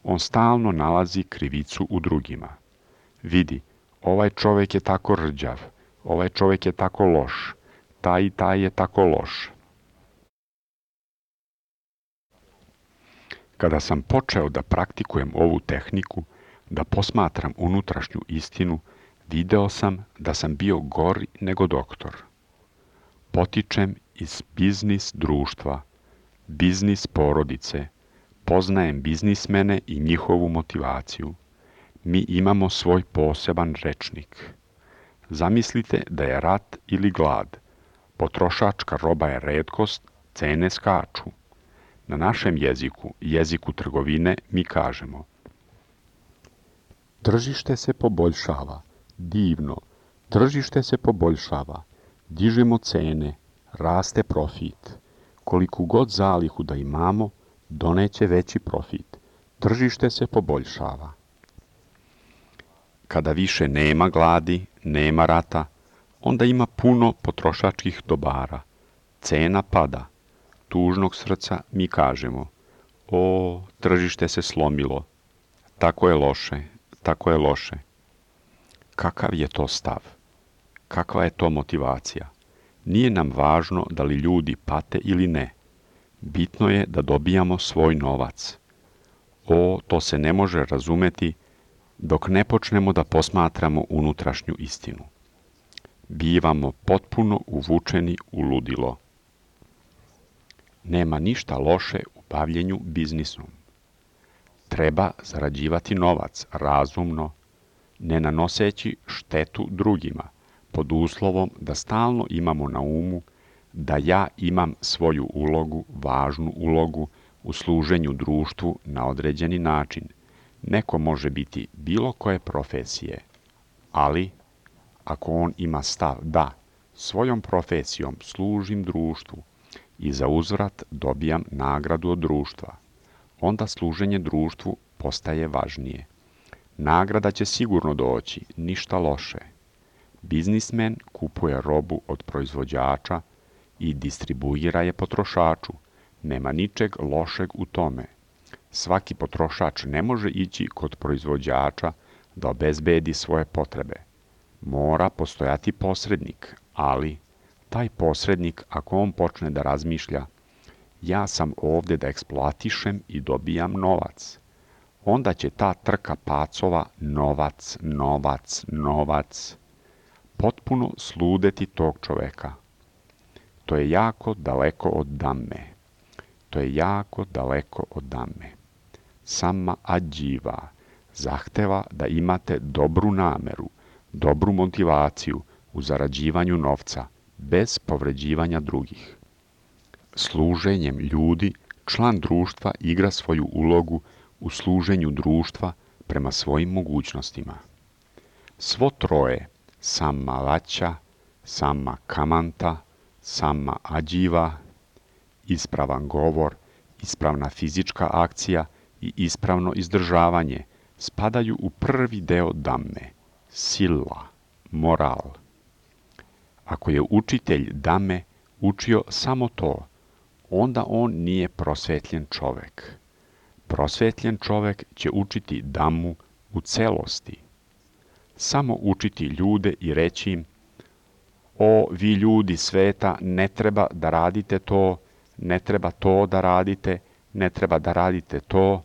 Speaker 1: on stalno nalazi krivicu u drugima. Vidi, ovaj čovjek je tako rđav, ovaj čovjek je tako loš, taj i taj je tako loš. Kada sam počeo da praktikujem ovu tehniku, da posmatram unutrašnju istinu, video sam da sam bio gori nego doktor. Potičem iz biznis društva, biznis porodice, poznajem biznismene i njihovu motivaciju. Mi imamo svoj poseban rečnik. Zamislite da je rat ili glad. Potrošačka roba je retkost, cene skaču. Na našem jeziku, jeziku trgovine, mi kažemo: tržište se poboljšava, divno, tržište se poboljšava, dižemo cene, raste profit. Koliku god zalihu da imamo, doneće veći profit. Tržište se poboljšava. Kada više nema gladi, nema rata, onda ima puno potrošačkih dobara. Cena pada. Tužnog srca mi kažemo: o, tržište se slomilo. Tako je loše, tako je loše. Kakav je to stav? Kakva je to motivacija? Nije nam važno da li ljudi pate ili ne. Bitno je da dobijamo svoj novac. O, to se ne može razumeti dok ne počnemo da posmatramo unutrašnju istinu. Bivamo potpuno uvučeni u ludilo. Nema ništa loše u bavljenju biznisom. Treba zarađivati novac razumno, ne nanoseći štetu drugima, pod uslovom da stalno imamo na umu da ja imam svoju ulogu, važnu ulogu u služenju društvu na određeni način. Neko može biti bilo koje profesije, ali ako on ima stav da svojom profesijom služim društvu i za uzvrat dobijam nagradu od društva, onda služenje društvu postaje važnije. Nagrada će sigurno doći, ništa loše. Biznismen kupuje robu od proizvođača i distribuira je potrošaču. Nema ničeg lošeg u tome. Svaki potrošač ne može ići kod proizvođača da obezbedi svoje potrebe. Mora postojati posrednik, ali taj posrednik, ako on počne da razmišlja: ja sam ovdje da eksploatišem i dobijam novac, onda će ta trka pacova novac, novac, novac potpuno sludeti tog čoveka. To je jako daleko od damme. To je jako daleko od damme. Sama ađiva zahteva da imate dobru nameru, dobru motivaciju u zarađivanju novca, bez povređivanja drugih. Služenjem ljudi, član društva igra svoju ulogu u služenju društva prema svojim mogućnostima. Svo troje, sama laća, sama kamanta, sama ađiva, ispravan govor, ispravna fizička akcija i ispravno izdržavanje spadaju u prvi deo damme, sila, moral. Ako je učitelj dame učio samo to, onda on nije prosvetljen čovek. Prosvetljen čovek će učiti damu u celosti. Samo učiti ljude i reći im: o, vi ljudi sveta, ne treba da radite to, ne treba to da radite, ne treba da radite to,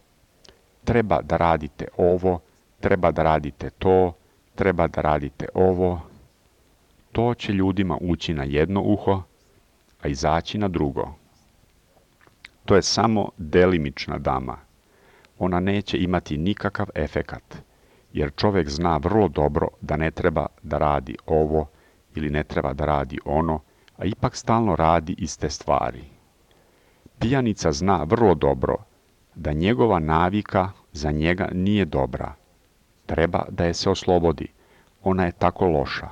Speaker 1: treba da radite ovo, treba da radite to, treba da radite ovo. To će ljudima ući na jedno uho, a izaći na drugo. To je samo delimična dama. Ona neće imati nikakav efekat, jer čovjek zna vrlo dobro da ne treba da radi ovo ili ne treba da radi ono, a ipak stalno radi iste stvari. Pijanica zna vrlo dobro da njegova navika za njega nije dobra. Treba da je se oslobodi. Ona je tako loša.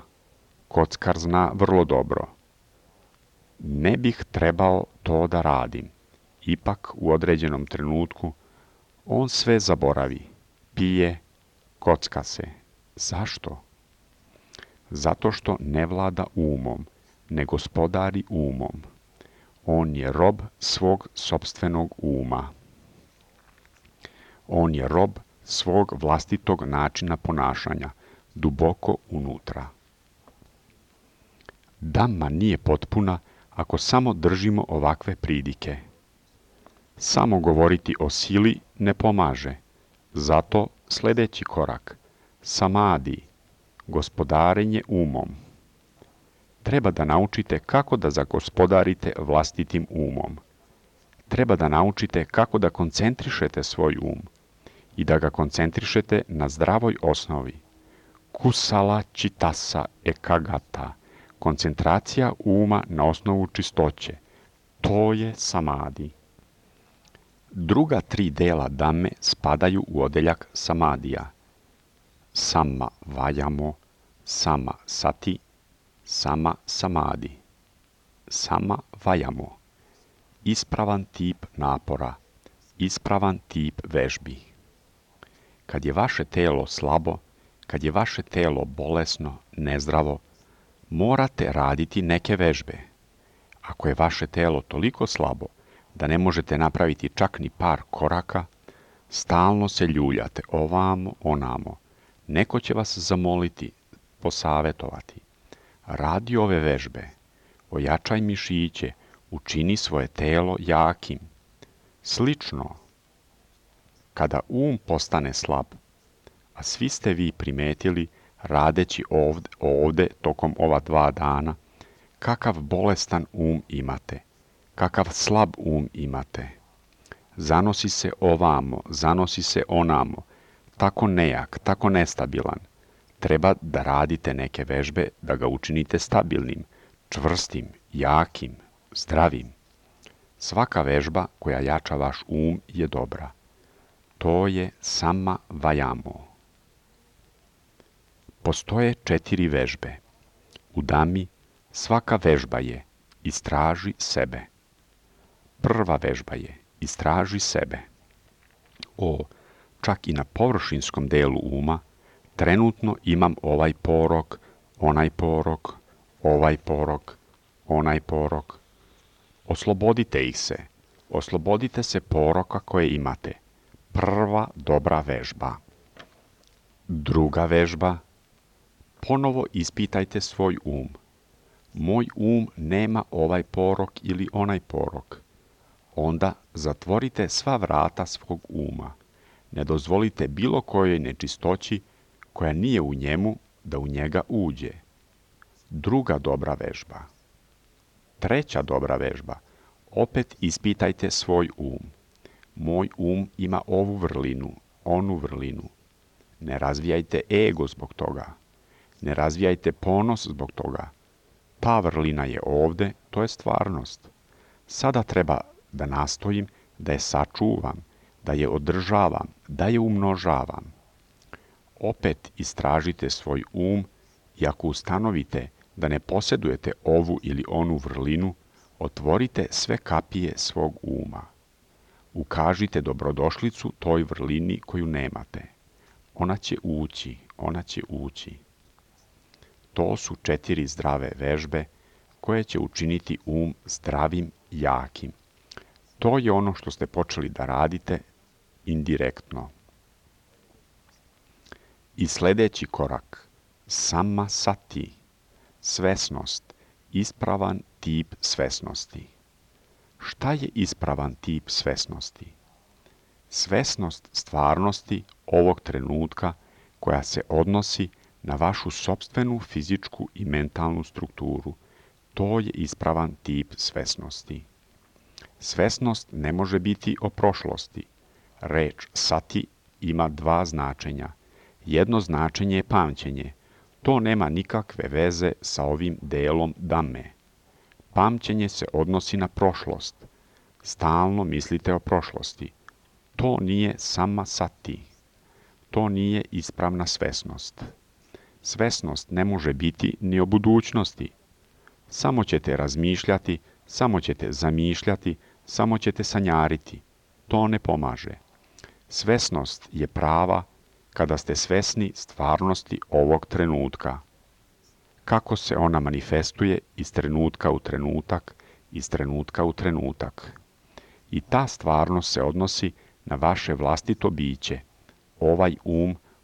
Speaker 1: Kockar zna vrlo dobro. Ne bih trebao to da radim. Ipak u određenom trenutku on sve zaboravi. Pije, kocka se. Zašto? Zato što ne vlada umom, ne gospodari umom. On je rob svog sopstvenog uma. On je rob svog vlastitog načina ponašanja, duboko unutra. Dhamma nije potpuna ako samo držimo ovakve pridike. Samo govoriti o sili ne pomaže. Zato sljedeći korak, samadi, gospodarenje umom. Treba da naučite kako da zagospodarite vlastitim umom. Treba da naučite kako da koncentrišete svoj um i da ga koncentrišete na zdravoj osnovi. Kusala čitasa ekagata, koncentracija uma na osnovu čistoće. To je samadi. Druga 3 dela dame spadaju u odeljak samadija. Sama vajamo, sama sati, sama samadi. Sama vajamo. Ispravan tip napora, ispravan tip vežbi. Kad je vaše telo slabo, kad je vaše telo bolesno, nezdravo, morate raditi neke vežbe. Ako je vaše telo toliko slabo da ne možete napraviti čak ni par koraka, stalno se ljuljate ovamo, onamo. Neko će vas zamoliti, posavetovati. Radi ove vežbe, ojačaj mišiće, učini svoje telo jakim. Slično, kada postane slab, a svi ste vi primetili radeći ovde tokom ova 2 dana, kakav bolestan imate, kakav slab imate. Zanosi se ovamo, zanosi se onamo, tako nejak, tako nestabilan. Treba da radite neke vežbe da ga učinite stabilnim, čvrstim, jakim, zdravim. Svaka vežba koja jača vaš je dobra. To je sama vajamo. Postoje 4 vežbe. U dami svaka vežba je istraži sebe. Prva vežba je istraži sebe. Čak i na površinskom delu uma trenutno imam ovaj porok, onaj porok, ovaj porok, onaj porok. Oslobodite ih se. Oslobodite se poroka koje imate. Prva dobra vežba. Druga vežba. Ponovo ispitajte svoj Moj nema ovaj porok ili onaj porok. Onda zatvorite sva vrata svog uma. Ne dozvolite bilo kojoj nečistoći koja nije u njemu da u njega uđe. Druga dobra vežba. Treća dobra vežba. Opet ispitajte svoj Moj ima ovu vrlinu, onu vrlinu. Ne razvijajte ego zbog toga. Ne razvijajte ponos zbog toga. Ta vrlina je ovde, to je stvarnost. Sada treba da nastojim da je sačuvam, da je održavam, da je umnožavam. Opet istražite svoj i ako ustanovite da ne posjedujete ovu ili onu vrlinu, otvorite sve kapije svog Ukažite dobrodošlicu toj vrlini koju nemate. Ona će ući. To su 4 zdrave vežbe koje će učiniti zdravim, jakim. To je ono što ste počeli da radite indirektno. I sljedeći korak, sama sati, svesnost, ispravan tip svesnosti. Šta je ispravan tip svesnosti? Svesnost stvarnosti ovog trenutka koja se odnosi na vašu sopstvenu fizičku i mentalnu strukturu. To je ispravan tip svesnosti. Svesnost ne može biti o prošlosti. Reč sati ima 2 značenja. Jedno značenje je pamćenje. To nema nikakve veze sa ovim delom dame. Pamćenje se odnosi na prošlost. Stalno mislite o prošlosti. To nije sama sati. To nije ispravna svesnost. Svesnost ne može biti ni o budućnosti. Samo ćete razmišljati, samo ćete zamišljati, samo ćete sanjariti. To ne pomaže. Svesnost je prava kada ste svesni stvarnosti ovog trenutka. Kako se ona manifestuje iz trenutka u trenutak, iz trenutka u trenutak. I ta stvarnost se odnosi na vaše vlastito biće, ovaj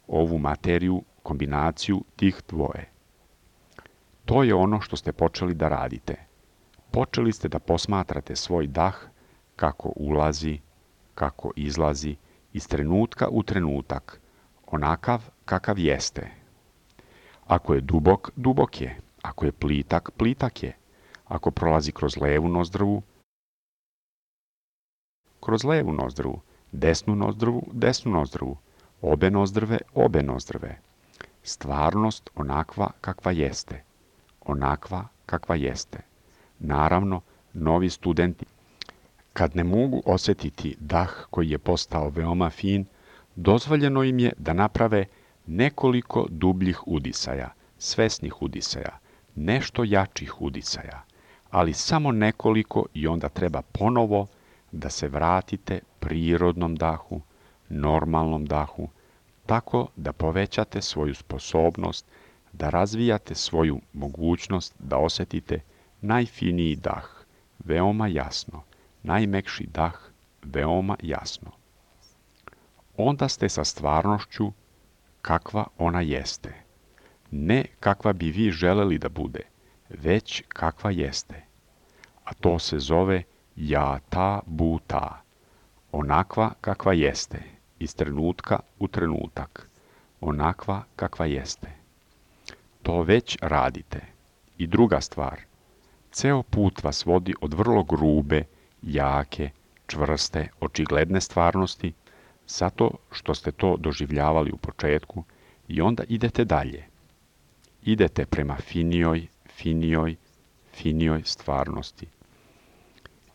Speaker 1: ovu materiju, kombinaciju tih dvoje. To je ono što ste počeli da radite. Počeli ste da posmatrate svoj dah kako ulazi, kako izlazi, iz trenutka u trenutak, onakav kakav jeste. Ako je dubok, dubok je. Ako je plitak, plitak je. Ako prolazi kroz levu nozdrvu, kroz levu nozdrvu, desnu nozdrvu, desnu nozdrvu, obe nozdrve, obe nozdrve. Stvarnost onakva kakva jeste. Onakva kakva jeste. Naravno, novi studenti, kad ne mogu osjetiti dah koji je postao veoma fin, dozvoljeno im je da naprave nekoliko dubljih udisaja, svesnih udisaja, nešto jačih udisaja, ali samo nekoliko i onda treba ponovo da se vratite prirodnom dahu, normalnom dahu, tako da povećate svoju sposobnost, da razvijate svoju mogućnost da osjetite najfiniji dah, veoma jasno, najmekši dah, veoma jasno. Onda ste sa stvarnošću kakva ona jeste. Ne kakva bi vi želeli da bude, već kakva jeste. A to se zove ja ta bu ta. Onakva kakva jeste, iz trenutka u trenutak. Onakva kakva jeste. To već radite. I druga stvar, ceo put vas vodi od vrlo grube, jake, čvrste, očigledne stvarnosti, zato što ste to doživljavali u početku i onda idete dalje. Idete prema finijoj stvarnosti.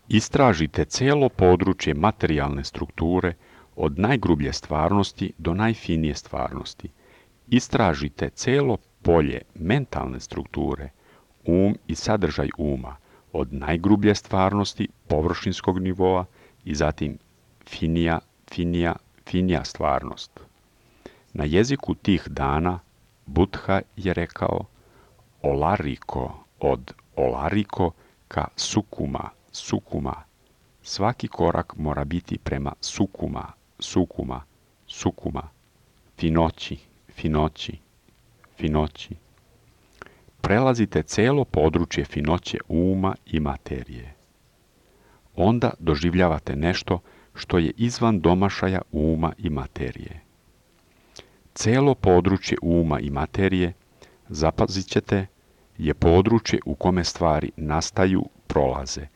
Speaker 1: Istražite celo područje materijalne strukture od najgrublje stvarnosti do najfinije stvarnosti. Istražite celo polje mentalne strukture, i sadržaj uma, od najgrublje stvarnosti, površinskog nivoa i zatim finija stvarnost. Na jeziku tih dana Buddha je rekao olariko, od olariko ka sukuma. Svaki korak mora biti prema sukuma, finoći. Prelazite celo područje finoće uma i materije. Onda doživljavate nešto što je izvan domašaja uma i materije. Celo područje uma i materije, zapazit ćete, je područje u kome stvari nastaju, prolaze.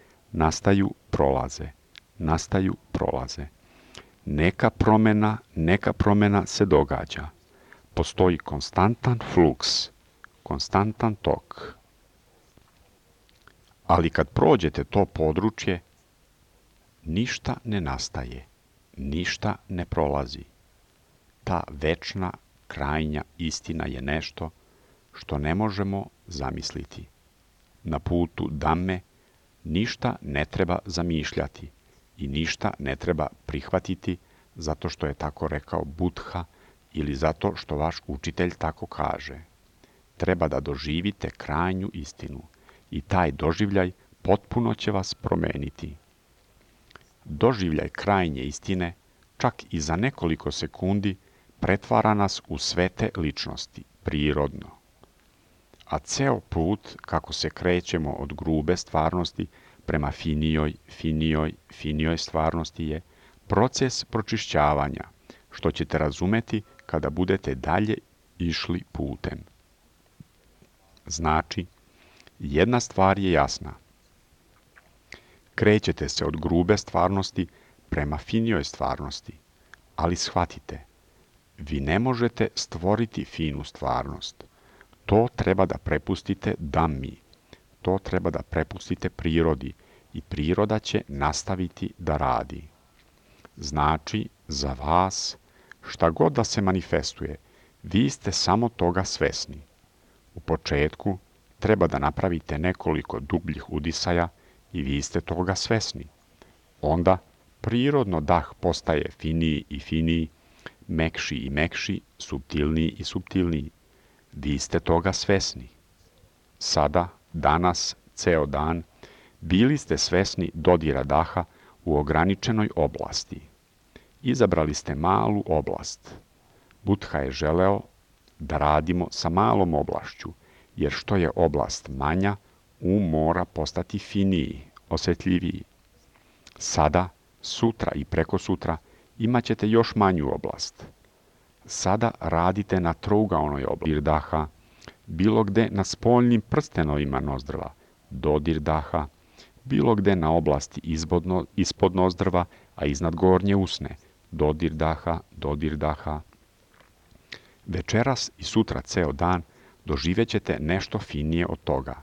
Speaker 1: Neka promena se događa. Postoji konstantan fluks, konstantan tok. Ali kad prođete to područje, ništa ne nastaje, ništa ne prolazi. Ta večna, krajnja istina je nešto što ne možemo zamisliti. Na putu Dhamme ništa ne treba zamišljati i ništa ne treba prihvatiti zato što je tako rekao Buddha ili zato što vaš učitelj tako kaže. Treba da doživite krajnju istinu i taj doživljaj potpuno će vas promeniti. Doživljaj krajnje istine, čak i za nekoliko sekundi, pretvara nas u svete ličnosti, prirodno. A ceo put, kako se krećemo od grube stvarnosti prema finijoj stvarnosti je proces pročišćavanja, što ćete razumeti kada budete dalje išli putem. Znači, jedna stvar je jasna. Krećete se od grube stvarnosti prema finijoj stvarnosti, ali shvatite, vi ne možete stvoriti finu stvarnost. To treba da prepustite Dhammi, to treba da prepustite prirodi i priroda će nastaviti da radi. Znači, za vas, šta god da se manifestuje, vi ste samo toga svesni. U početku treba da napravite nekoliko dubljih udisaja i vi ste toga svesni. Onda prirodno dah postaje finiji i finiji, mekši i mekši, suptilniji i suptilniji. Vi ste toga svesni. Sada, danas, ceo dan, bili ste svesni dodira daha u ograničenoj oblasti. Izabrali ste malu oblast. Buddha je želeo da radimo sa malom oblašću, jer što je oblast manja, mora postati finiji, osjetljiviji. Sada, sutra i prekosutra imat ćete još manju oblast. Sada radite na trougaonoj oblasti daha, bilo gde na spoljnim prstenovima nozdrva, dodir daha, bilo gde na oblasti ispod nozdrva, a iznad gornje usne, dodir daha, dodir daha. Večeras i sutra ceo dan doživjet ćete nešto finije od toga.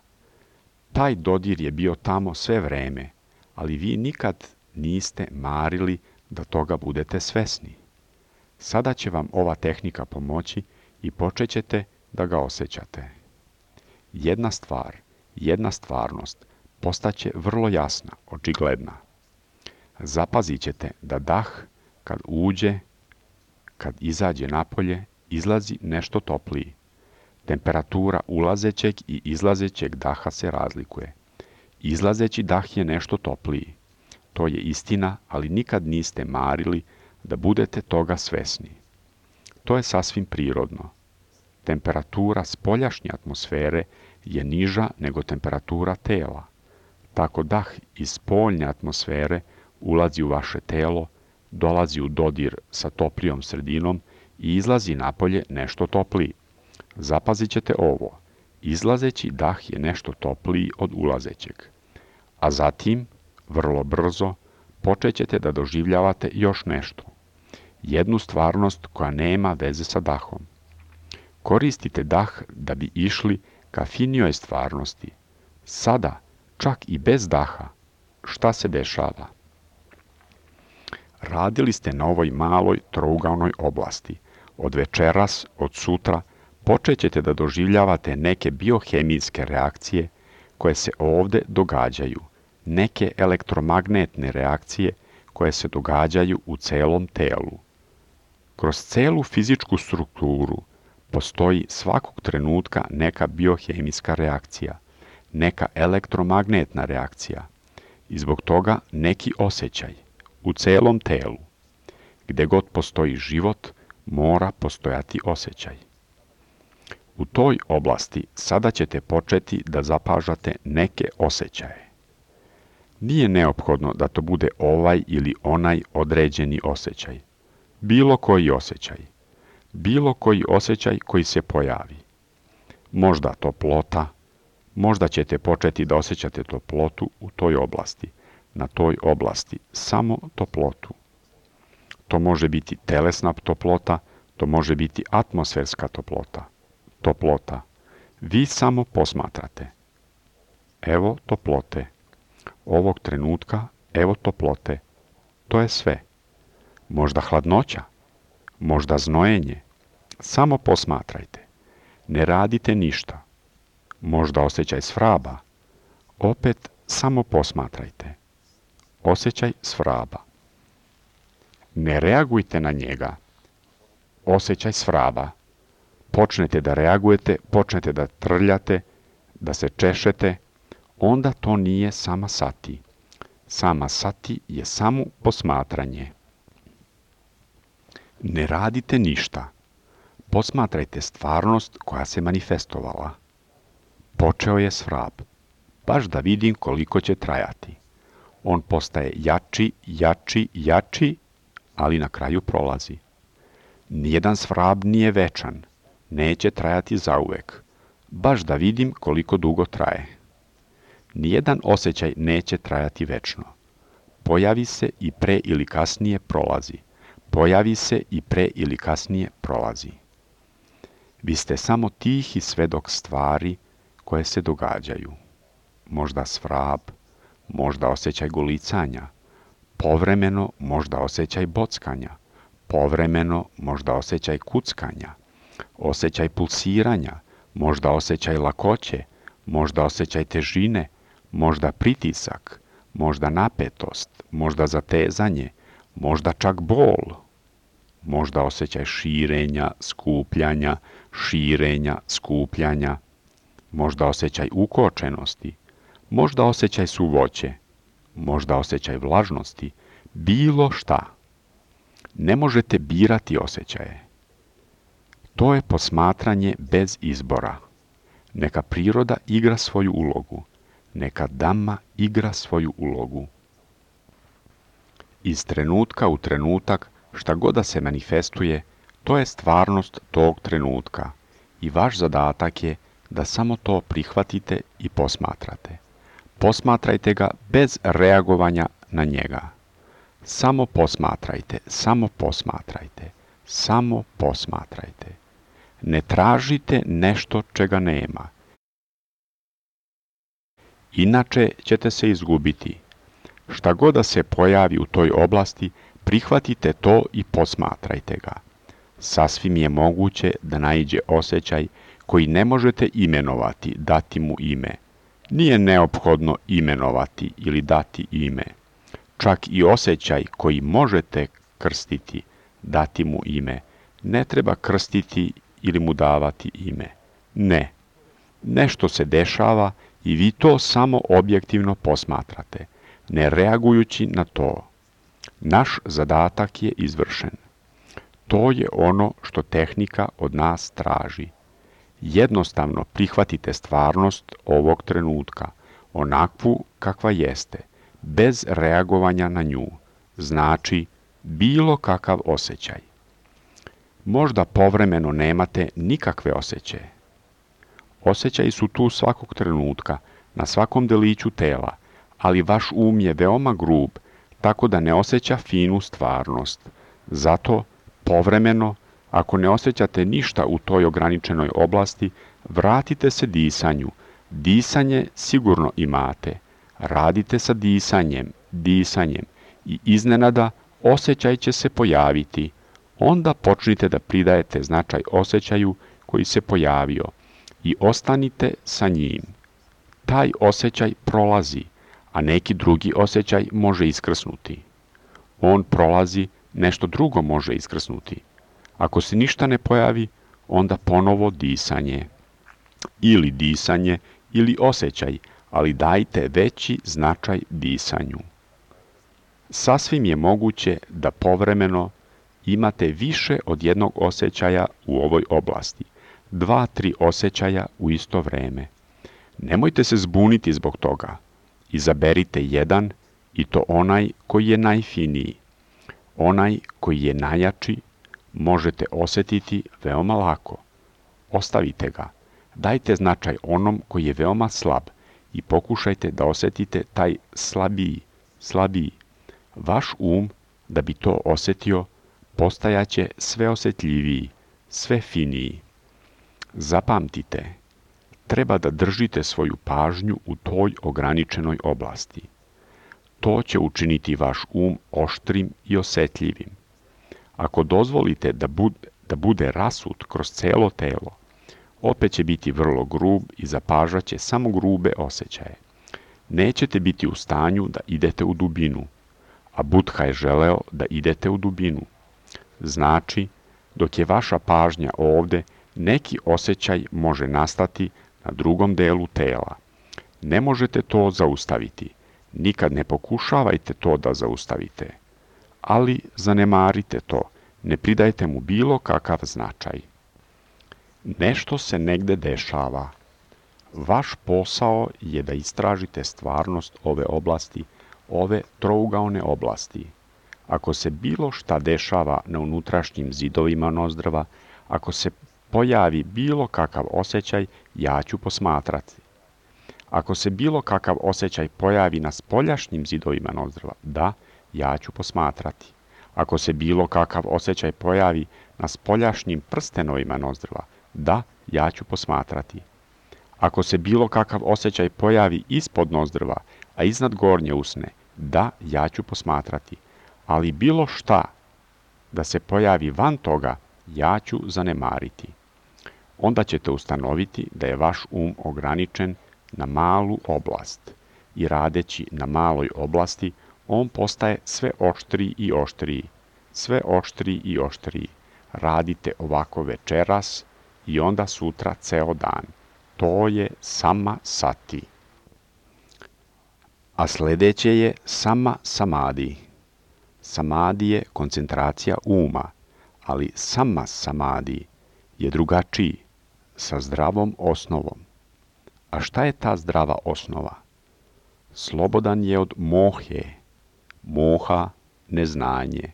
Speaker 1: Taj dodir je bio tamo sve vreme, ali vi nikad niste marili da toga budete svesni. Sada će vam ova tehnika pomoći i počet ćete da ga osjećate. Jedna stvar, jedna stvarnost postaće vrlo jasna, očigledna. Zapazit ćete da dah, kad uđe, kad izađe napolje, izlazi nešto topliji. Temperatura ulazećeg i izlazećeg daha se razlikuje. Izlazeći dah je nešto topliji. To je istina, ali nikad niste marili da budete toga svesni. To je sasvim prirodno. Temperatura spoljašnje atmosfere je niža nego temperatura tela. Tako dah iz spoljne atmosfere ulazi u vaše telo, dolazi u dodir sa toplijom sredinom i izlazi napolje nešto topliji. Zapazit ćete ovo. Izlazeći dah je nešto topliji od ulazećeg. A zatim, vrlo brzo, počet ćete da doživljavate još nešto. Jednu stvarnost koja nema veze sa dahom. Koristite dah da bi išli ka finijoj stvarnosti. Sada, čak i bez daha, šta se dešava? Radili ste na ovoj maloj trougaonoj oblasti. Od večeras, od sutra, počet ćete da doživljavate neke biohemijske reakcije koje se ovde događaju, neke elektromagnetne reakcije koje se događaju u celom telu. Kroz celu fizičku strukturu postoji svakog trenutka neka biohemijska reakcija, neka elektromagnetna reakcija i zbog toga neki osjećaj u celom telu. Gde god postoji život, mora postojati osjećaj. U toj oblasti sada ćete početi da zapažate neke osjećaje. Nije neophodno da to bude ovaj ili onaj određeni osjećaj. Bilo koji osjećaj. Bilo koji osjećaj koji se pojavi. Možda toplota, možda ćete početi da osjećate toplotu u toj oblasti. Na toj oblasti samo toplotu. To može biti telesna toplota, to može biti atmosferska toplota. Toplota. Vi samo posmatrate. Evo toplote. Ovog trenutka, evo toplote. To je sve. Možda hladnoća, možda znojenje. Samo posmatrajte. Ne radite ništa. Možda osjećaj svraba. Opet samo posmatrajte. Osjećaj svraba. Ne reagujte na njega. Osjećaj svraba. Počnete da reagujete, počnete da trljate, da se češete, onda to nije sama sati. Sama sati je samo posmatranje. Ne radite ništa. Posmatrajte stvarnost koja se manifestovala. Počeo je svrab. Baš da vidim koliko će trajati. On postaje jači, jači, jači, ali na kraju prolazi. Nijedan svrab nije večan. Neće trajati zauvek. Baš da vidim koliko dugo traje. Nijedan osjećaj neće trajati večno. Pojavi se i pre ili kasnije prolazi. Pojavi se i pre ili kasnije prolazi. Vi ste samo tihi svedok stvari koje se događaju. Možda svrab, možda osjećaj golicanja, povremeno možda osjećaj bockanja, povremeno možda osjećaj kuckanja, osjećaj pulsiranja, možda osjećaj lakoće, možda osjećaj težine, možda pritisak, možda napetost, možda zatezanje, možda čak bol, možda osjećaj širenja, skupljanja, možda osjećaj ukočenosti, možda osjećaj suvoće, možda osjećaj vlažnosti, bilo šta. Ne možete birati osjećaje. To je posmatranje bez izbora. Neka priroda igra svoju ulogu. Neka Dhamma igra svoju ulogu. Iz trenutka u trenutak, šta god da se manifestuje, to je stvarnost tog trenutka i vaš zadatak je da samo to prihvatite i posmatrate. Posmatrajte ga bez reagovanja na njega. Samo posmatrajte, samo posmatrajte, samo posmatrajte. Ne tražite nešto čega nema. Inače ćete se izgubiti. Šta god da se pojavi u toj oblasti, prihvatite to i posmatrajte ga. Sasvim je moguće da naiđe osjećaj koji ne možete imenovati, dati mu ime. Nije neophodno imenovati ili dati ime. Čak i osjećaj koji možete krstiti, dati mu ime, ne treba krstiti ili mu davati ime. Ne. Nešto se dešava i vi to samo objektivno posmatrate, ne reagujući na to. Naš zadatak je izvršen. To je ono što tehnika od nas traži. Jednostavno prihvatite stvarnost ovog trenutka, onakvu kakva jeste, bez reagovanja na nju, znači bilo kakav osjećaj. Možda povremeno nemate nikakve osjećaje. Osjećaji su tu svakog trenutka, na svakom deliću tela, ali vaš um je veoma grub, tako da ne osjeća finu stvarnost. Zato, povremeno, ako ne osjećate ništa u toj ograničenoj oblasti, vratite se disanju. Disanje sigurno imate. Radite sa disanjem i iznenada osjećaj će se pojaviti. Onda počnite da pridajete značaj osjećaju koji se pojavio i ostanite sa njim. Taj osjećaj prolazi, a neki drugi osjećaj može iskrsnuti. On prolazi, nešto drugo može iskrsnuti. Ako se ništa ne pojavi, onda ponovo disanje. Ili osjećaj, ali dajte veći značaj disanju. Sasvim je moguće da povremeno imate više od jednog osjećaja u ovoj oblasti, 2-3 osjećaja u isto vreme. Nemojte se zbuniti zbog toga. Izaberite jedan i to onaj koji je najfiniji. Onaj koji je najjači možete osjetiti veoma lako. Ostavite ga. Dajte značaj onom koji je veoma slab i pokušajte da osjetite taj slabiji. Vaš um, da bi to osjetio, postajaće sve osjetljiviji, sve finiji. Zapamtite, treba da držite svoju pažnju u toj ograničenoj oblasti. To će učiniti vaš um oštrim i osjetljivim. Ako dozvolite da bude rasut kroz celo telo, opet će biti vrlo grub i zapažat će samo grube osjećaje. Nećete biti u stanju da idete u dubinu, a Buddha je želeo da idete u dubinu. Znači, dok je vaša pažnja ovde, neki osjećaj može nastati na drugom delu tela. Ne možete to zaustaviti. Nikad ne pokušavajte to da zaustavite. Ali zanemarite to. Ne pridajte mu bilo kakav značaj. Nešto se negde dešava. Vaš posao je da istražite stvarnost ove oblasti, ove trougaone oblasti. Ako se bilo šta dešava na unutrašnjim zidovima nozdrva, ako se pojavi bilo kakav osjećaj, ja ću posmatrati. Ako se bilo kakav osjećaj pojavi na spoljašnjim zidovima nozdrva, da, ja ću posmatrati. Ako se bilo kakav osjećaj pojavi na spoljašnjim prstenovima nozdrva, da, ja ću posmatrati. Ako se bilo kakav osjećaj pojavi ispod nozdrva, a iznad gornje usne, da, ja ću posmatrati, ali bilo šta da se pojavi van toga, ja ću zanemariti. Onda ćete ustanoviti da je vaš ograničen na malu oblast i radeći na maloj oblasti, on postaje sve oštriji i oštriji, sve oštriji i oštriji. Radite ovako večeras i onda sutra ceo dan. To je sama sati. A sljedeće je sama samadi. Samadi je koncentracija uma, ali sama samadi je drugačiji, sa zdravom osnovom. A šta je ta zdrava osnova? Slobodan je od mohe, moha, neznanje,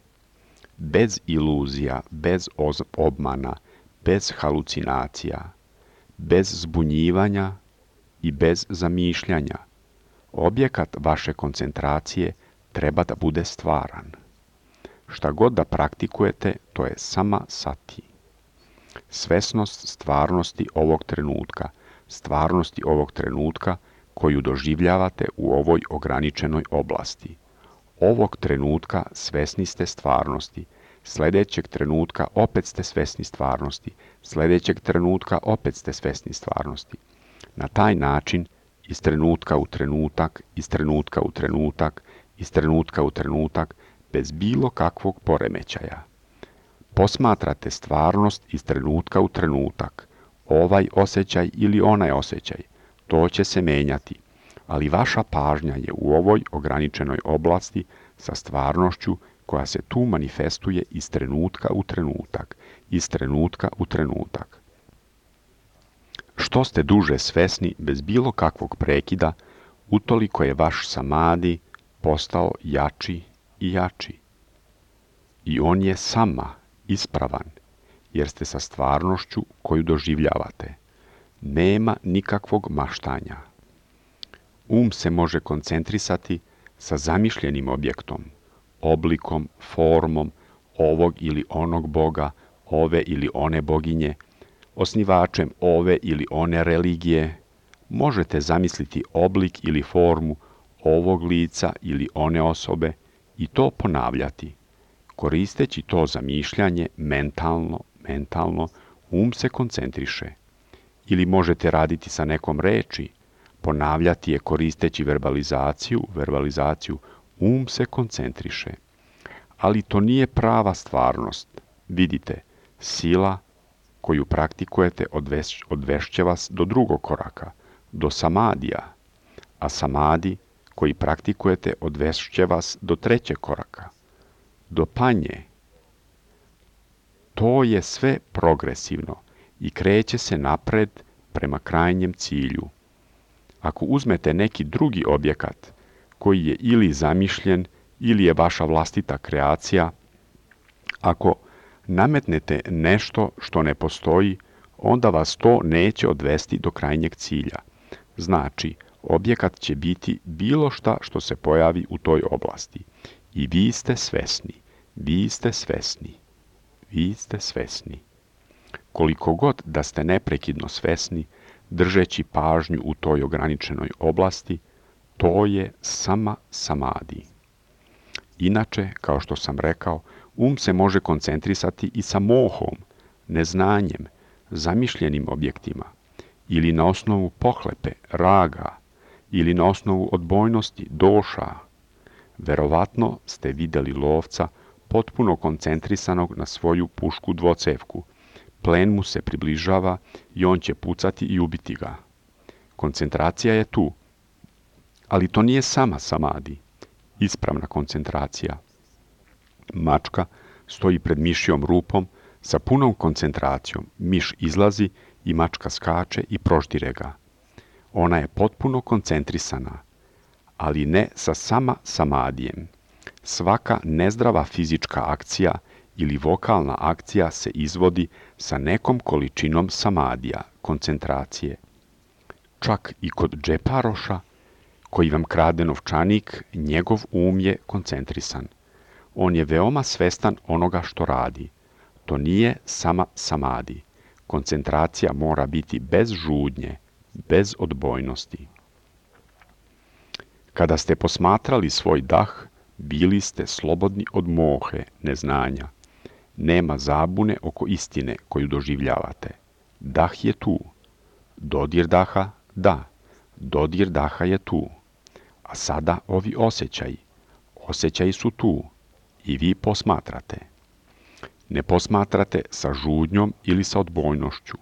Speaker 1: bez iluzija, bez obmana, bez halucinacija, bez zbunjivanja i bez zamišljanja. Objekat vaše koncentracije treba da bude stvaran. Šta god da praktikujete, to je sama sati. Svesnost stvarnosti ovog trenutka koju doživljavate u ovoj ograničenoj oblasti. Ovog trenutka svesni ste stvarnosti, sljedećeg trenutka opet ste svesni stvarnosti, sljedećeg trenutka opet ste svesni stvarnosti. Na taj način, iz trenutka u trenutak, iz trenutka u trenutak, iz trenutka u trenutak, bez bilo kakvog poremećaja. Posmatrate stvarnost iz trenutka u trenutak, ovaj osjećaj ili onaj osjećaj, to će se menjati, ali vaša pažnja je u ovoj ograničenoj oblasti sa stvarnošću koja se tu manifestuje iz trenutka u trenutak, iz trenutka u trenutak. Što ste duže svesni bez bilo kakvog prekida, utoliko je vaš samadi postao jači i jači. I on je sama ispravan, jer ste sa stvarnošću koju doživljavate. Nema nikakvog maštanja. Se može koncentrisati sa zamišljenim objektom, oblikom, formom ovog ili onog boga, ove ili one boginje, osnivačem ove ili one religije. Možete zamisliti oblik ili formu ovog lica ili one osobe i to ponavljati. Koristeći to zamišljanje mentalno, se koncentriše. Ili možete raditi sa nekom reči, ponavljati je koristeći verbalizaciju, se koncentriše. Ali to nije prava stvarnost. Vidite, sila koju praktikujete odvešće vas do drugog koraka, do samadija, a samadi koji praktikujete odvešće vas do trećeg koraka, do panje. To je sve progresivno i kreće se napred prema krajnjem cilju. Ako uzmete neki drugi objekat koji je ili zamišljen ili je vaša vlastita kreacija, ako nametnete nešto što ne postoji, onda vas to neće odvesti do krajnjeg cilja. Znači, objekat će biti bilo šta što se pojavi u toj oblasti. I vi ste svesni, vi ste svesni, vi ste svesni. Koliko god da ste neprekidno svesni, držeći pažnju u toj ograničenoj oblasti, to je sama samadi. Inače, kao što sam rekao, se može koncentrisati i sa mohom, neznanjem, zamišljenim objektima, ili na osnovu pohlepe, raga, ili na osnovu odbojnosti, doša. Verovatno ste vidjeli lovca potpuno koncentrisanog na svoju pušku dvocevku. Plen mu se približava i on će pucati i ubiti ga. Koncentracija je tu, ali to nije sama samadi, ispravna koncentracija. Mačka stoji pred mišjom rupom sa punom koncentracijom. Miš izlazi i mačka skače i proždire ga. Ona je potpuno koncentrisana, ali ne sa sama samadijem. Svaka nezdrava fizička akcija ili vokalna akcija se izvodi sa nekom količinom samadija, koncentracije. Čak i kod džeparoša, koji vam krade novčanik, njegov je koncentrisan. On je veoma svestan onoga što radi. To nije sama samadi. Koncentracija mora biti bez žudnje, bez odbojnosti. Kada ste posmatrali svoj dah, bili ste slobodni od mohe, neznanja. Nema zabune oko istine koju doživljavate. Dah je tu. Dodir daha, da. Dodir daha je tu. A sada ovi osjećaji. Osjećaji su tu. I vi posmatrate. Ne posmatrate sa žudnjom ili sa odbojnošću.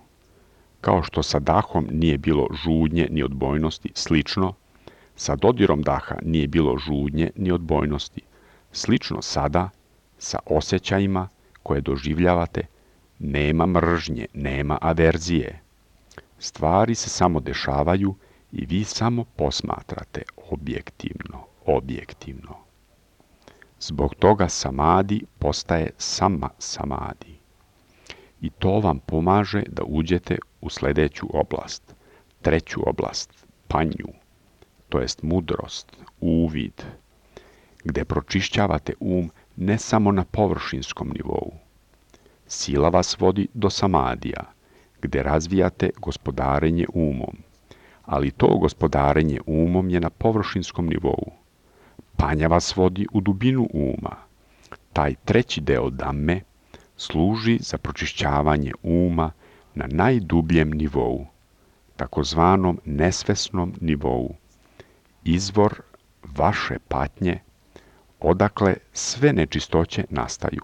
Speaker 1: Kao što sa dahom nije bilo žudnje ni odbojnosti, slično, sa dodirom daha nije bilo žudnje ni odbojnosti. Slično sada, sa osjećajima koje doživljavate, nema mržnje, nema averzije. Stvari se samo dešavaju i vi samo posmatrate objektivno. Zbog toga samadi postaje sama samadi. I to vam pomaže da uđete u sljedeću oblast, treću oblast, panju, to jest mudrost, uvid, gdje pročišćavate ne samo na površinskom nivou. Sila vas vodi do samadija, gdje razvijate gospodarenje umom, ali to gospodarenje umom je na površinskom nivou. Panja vas vodi u dubinu uma. Taj treći deo damme služi za pročišćavanje uma na najdubljem nivou, takozvanom nesvesnom nivou, izvor vaše patnje, odakle sve nečistoće nastaju,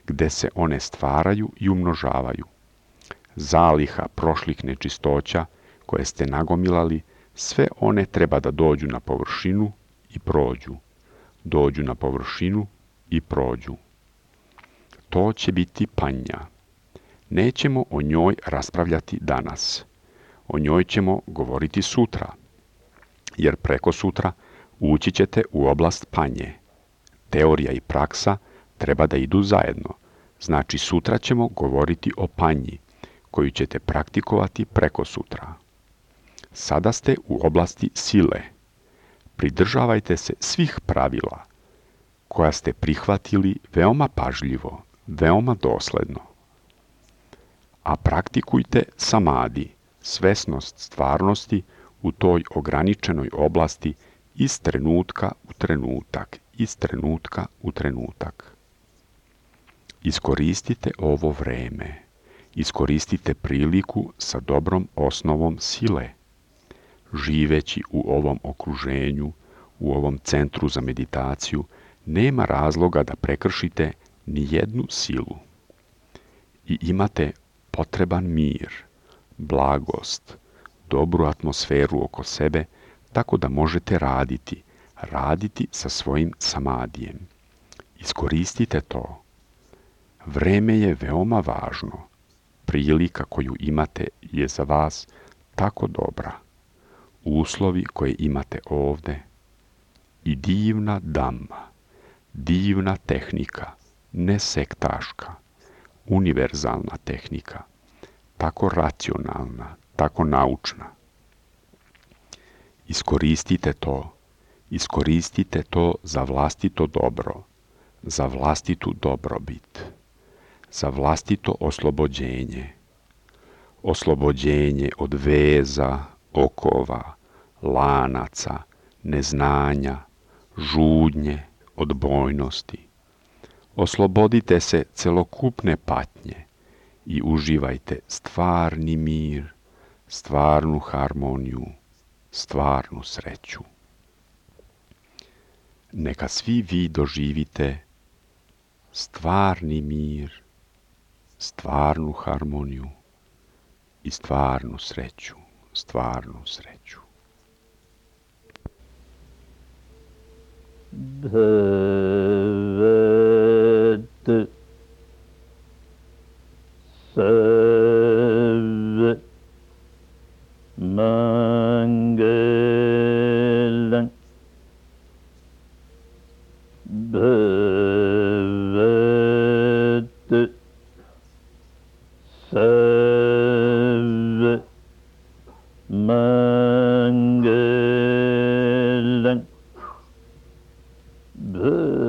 Speaker 1: gde se one stvaraju i umnožavaju. Zaliha prošlih nečistoća koje ste nagomilali, sve one treba da dođu na površinu i prođu. Dođu na površinu i prođu. To će biti panja. Nećemo o njoj raspravljati danas. O njoj ćemo govoriti sutra, jer preko sutra ući ćete u oblast panje. Teorija i praksa treba da idu zajedno. Znači sutra ćemo govoriti o panji, koju ćete praktikovati preko sutra. Sada ste u oblasti sile. Pridržavajte se svih pravila koja ste prihvatili veoma pažljivo, veoma dosledno. A praktikujte samadi, svesnost stvarnosti u toj ograničenoj oblasti iz trenutka u trenutak, iz trenutka u trenutak. Iskoristite ovo vreme. Iskoristite priliku sa dobrom osnovom sile. Živeći u ovom okruženju, u ovom centru za meditaciju, nema razloga da prekršite ni jednu silu. I imate potreban mir, blagost, dobru atmosferu oko sebe, tako da možete raditi sa svojim samadijem. Iskoristite to. Vreme je veoma važno. Prilika koju imate je za vas tako dobra. Uslovi koje imate ovde i divna dhamma, divna tehnika, ne sektaška, univerzalna tehnika, tako racionalna, tako naučna. Iskoristite to za vlastito dobro, za vlastitu dobrobit, za vlastito oslobođenje. Oslobođenje od veza, okova, lanaca, neznanja, žudnje, odbojnosti. Oslobodite se celokupne patnje i uživajte stvarni mir, stvarnu harmoniju, stvarnu sreću. Neka svi vi doživite stvarni mir, stvarnu harmoniju i stvarnu sreću, stvarnu sreću.
Speaker 2: Bhavat Sarva Mangalam Bhavat Sarva Mangalam Bhavat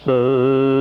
Speaker 2: Sarva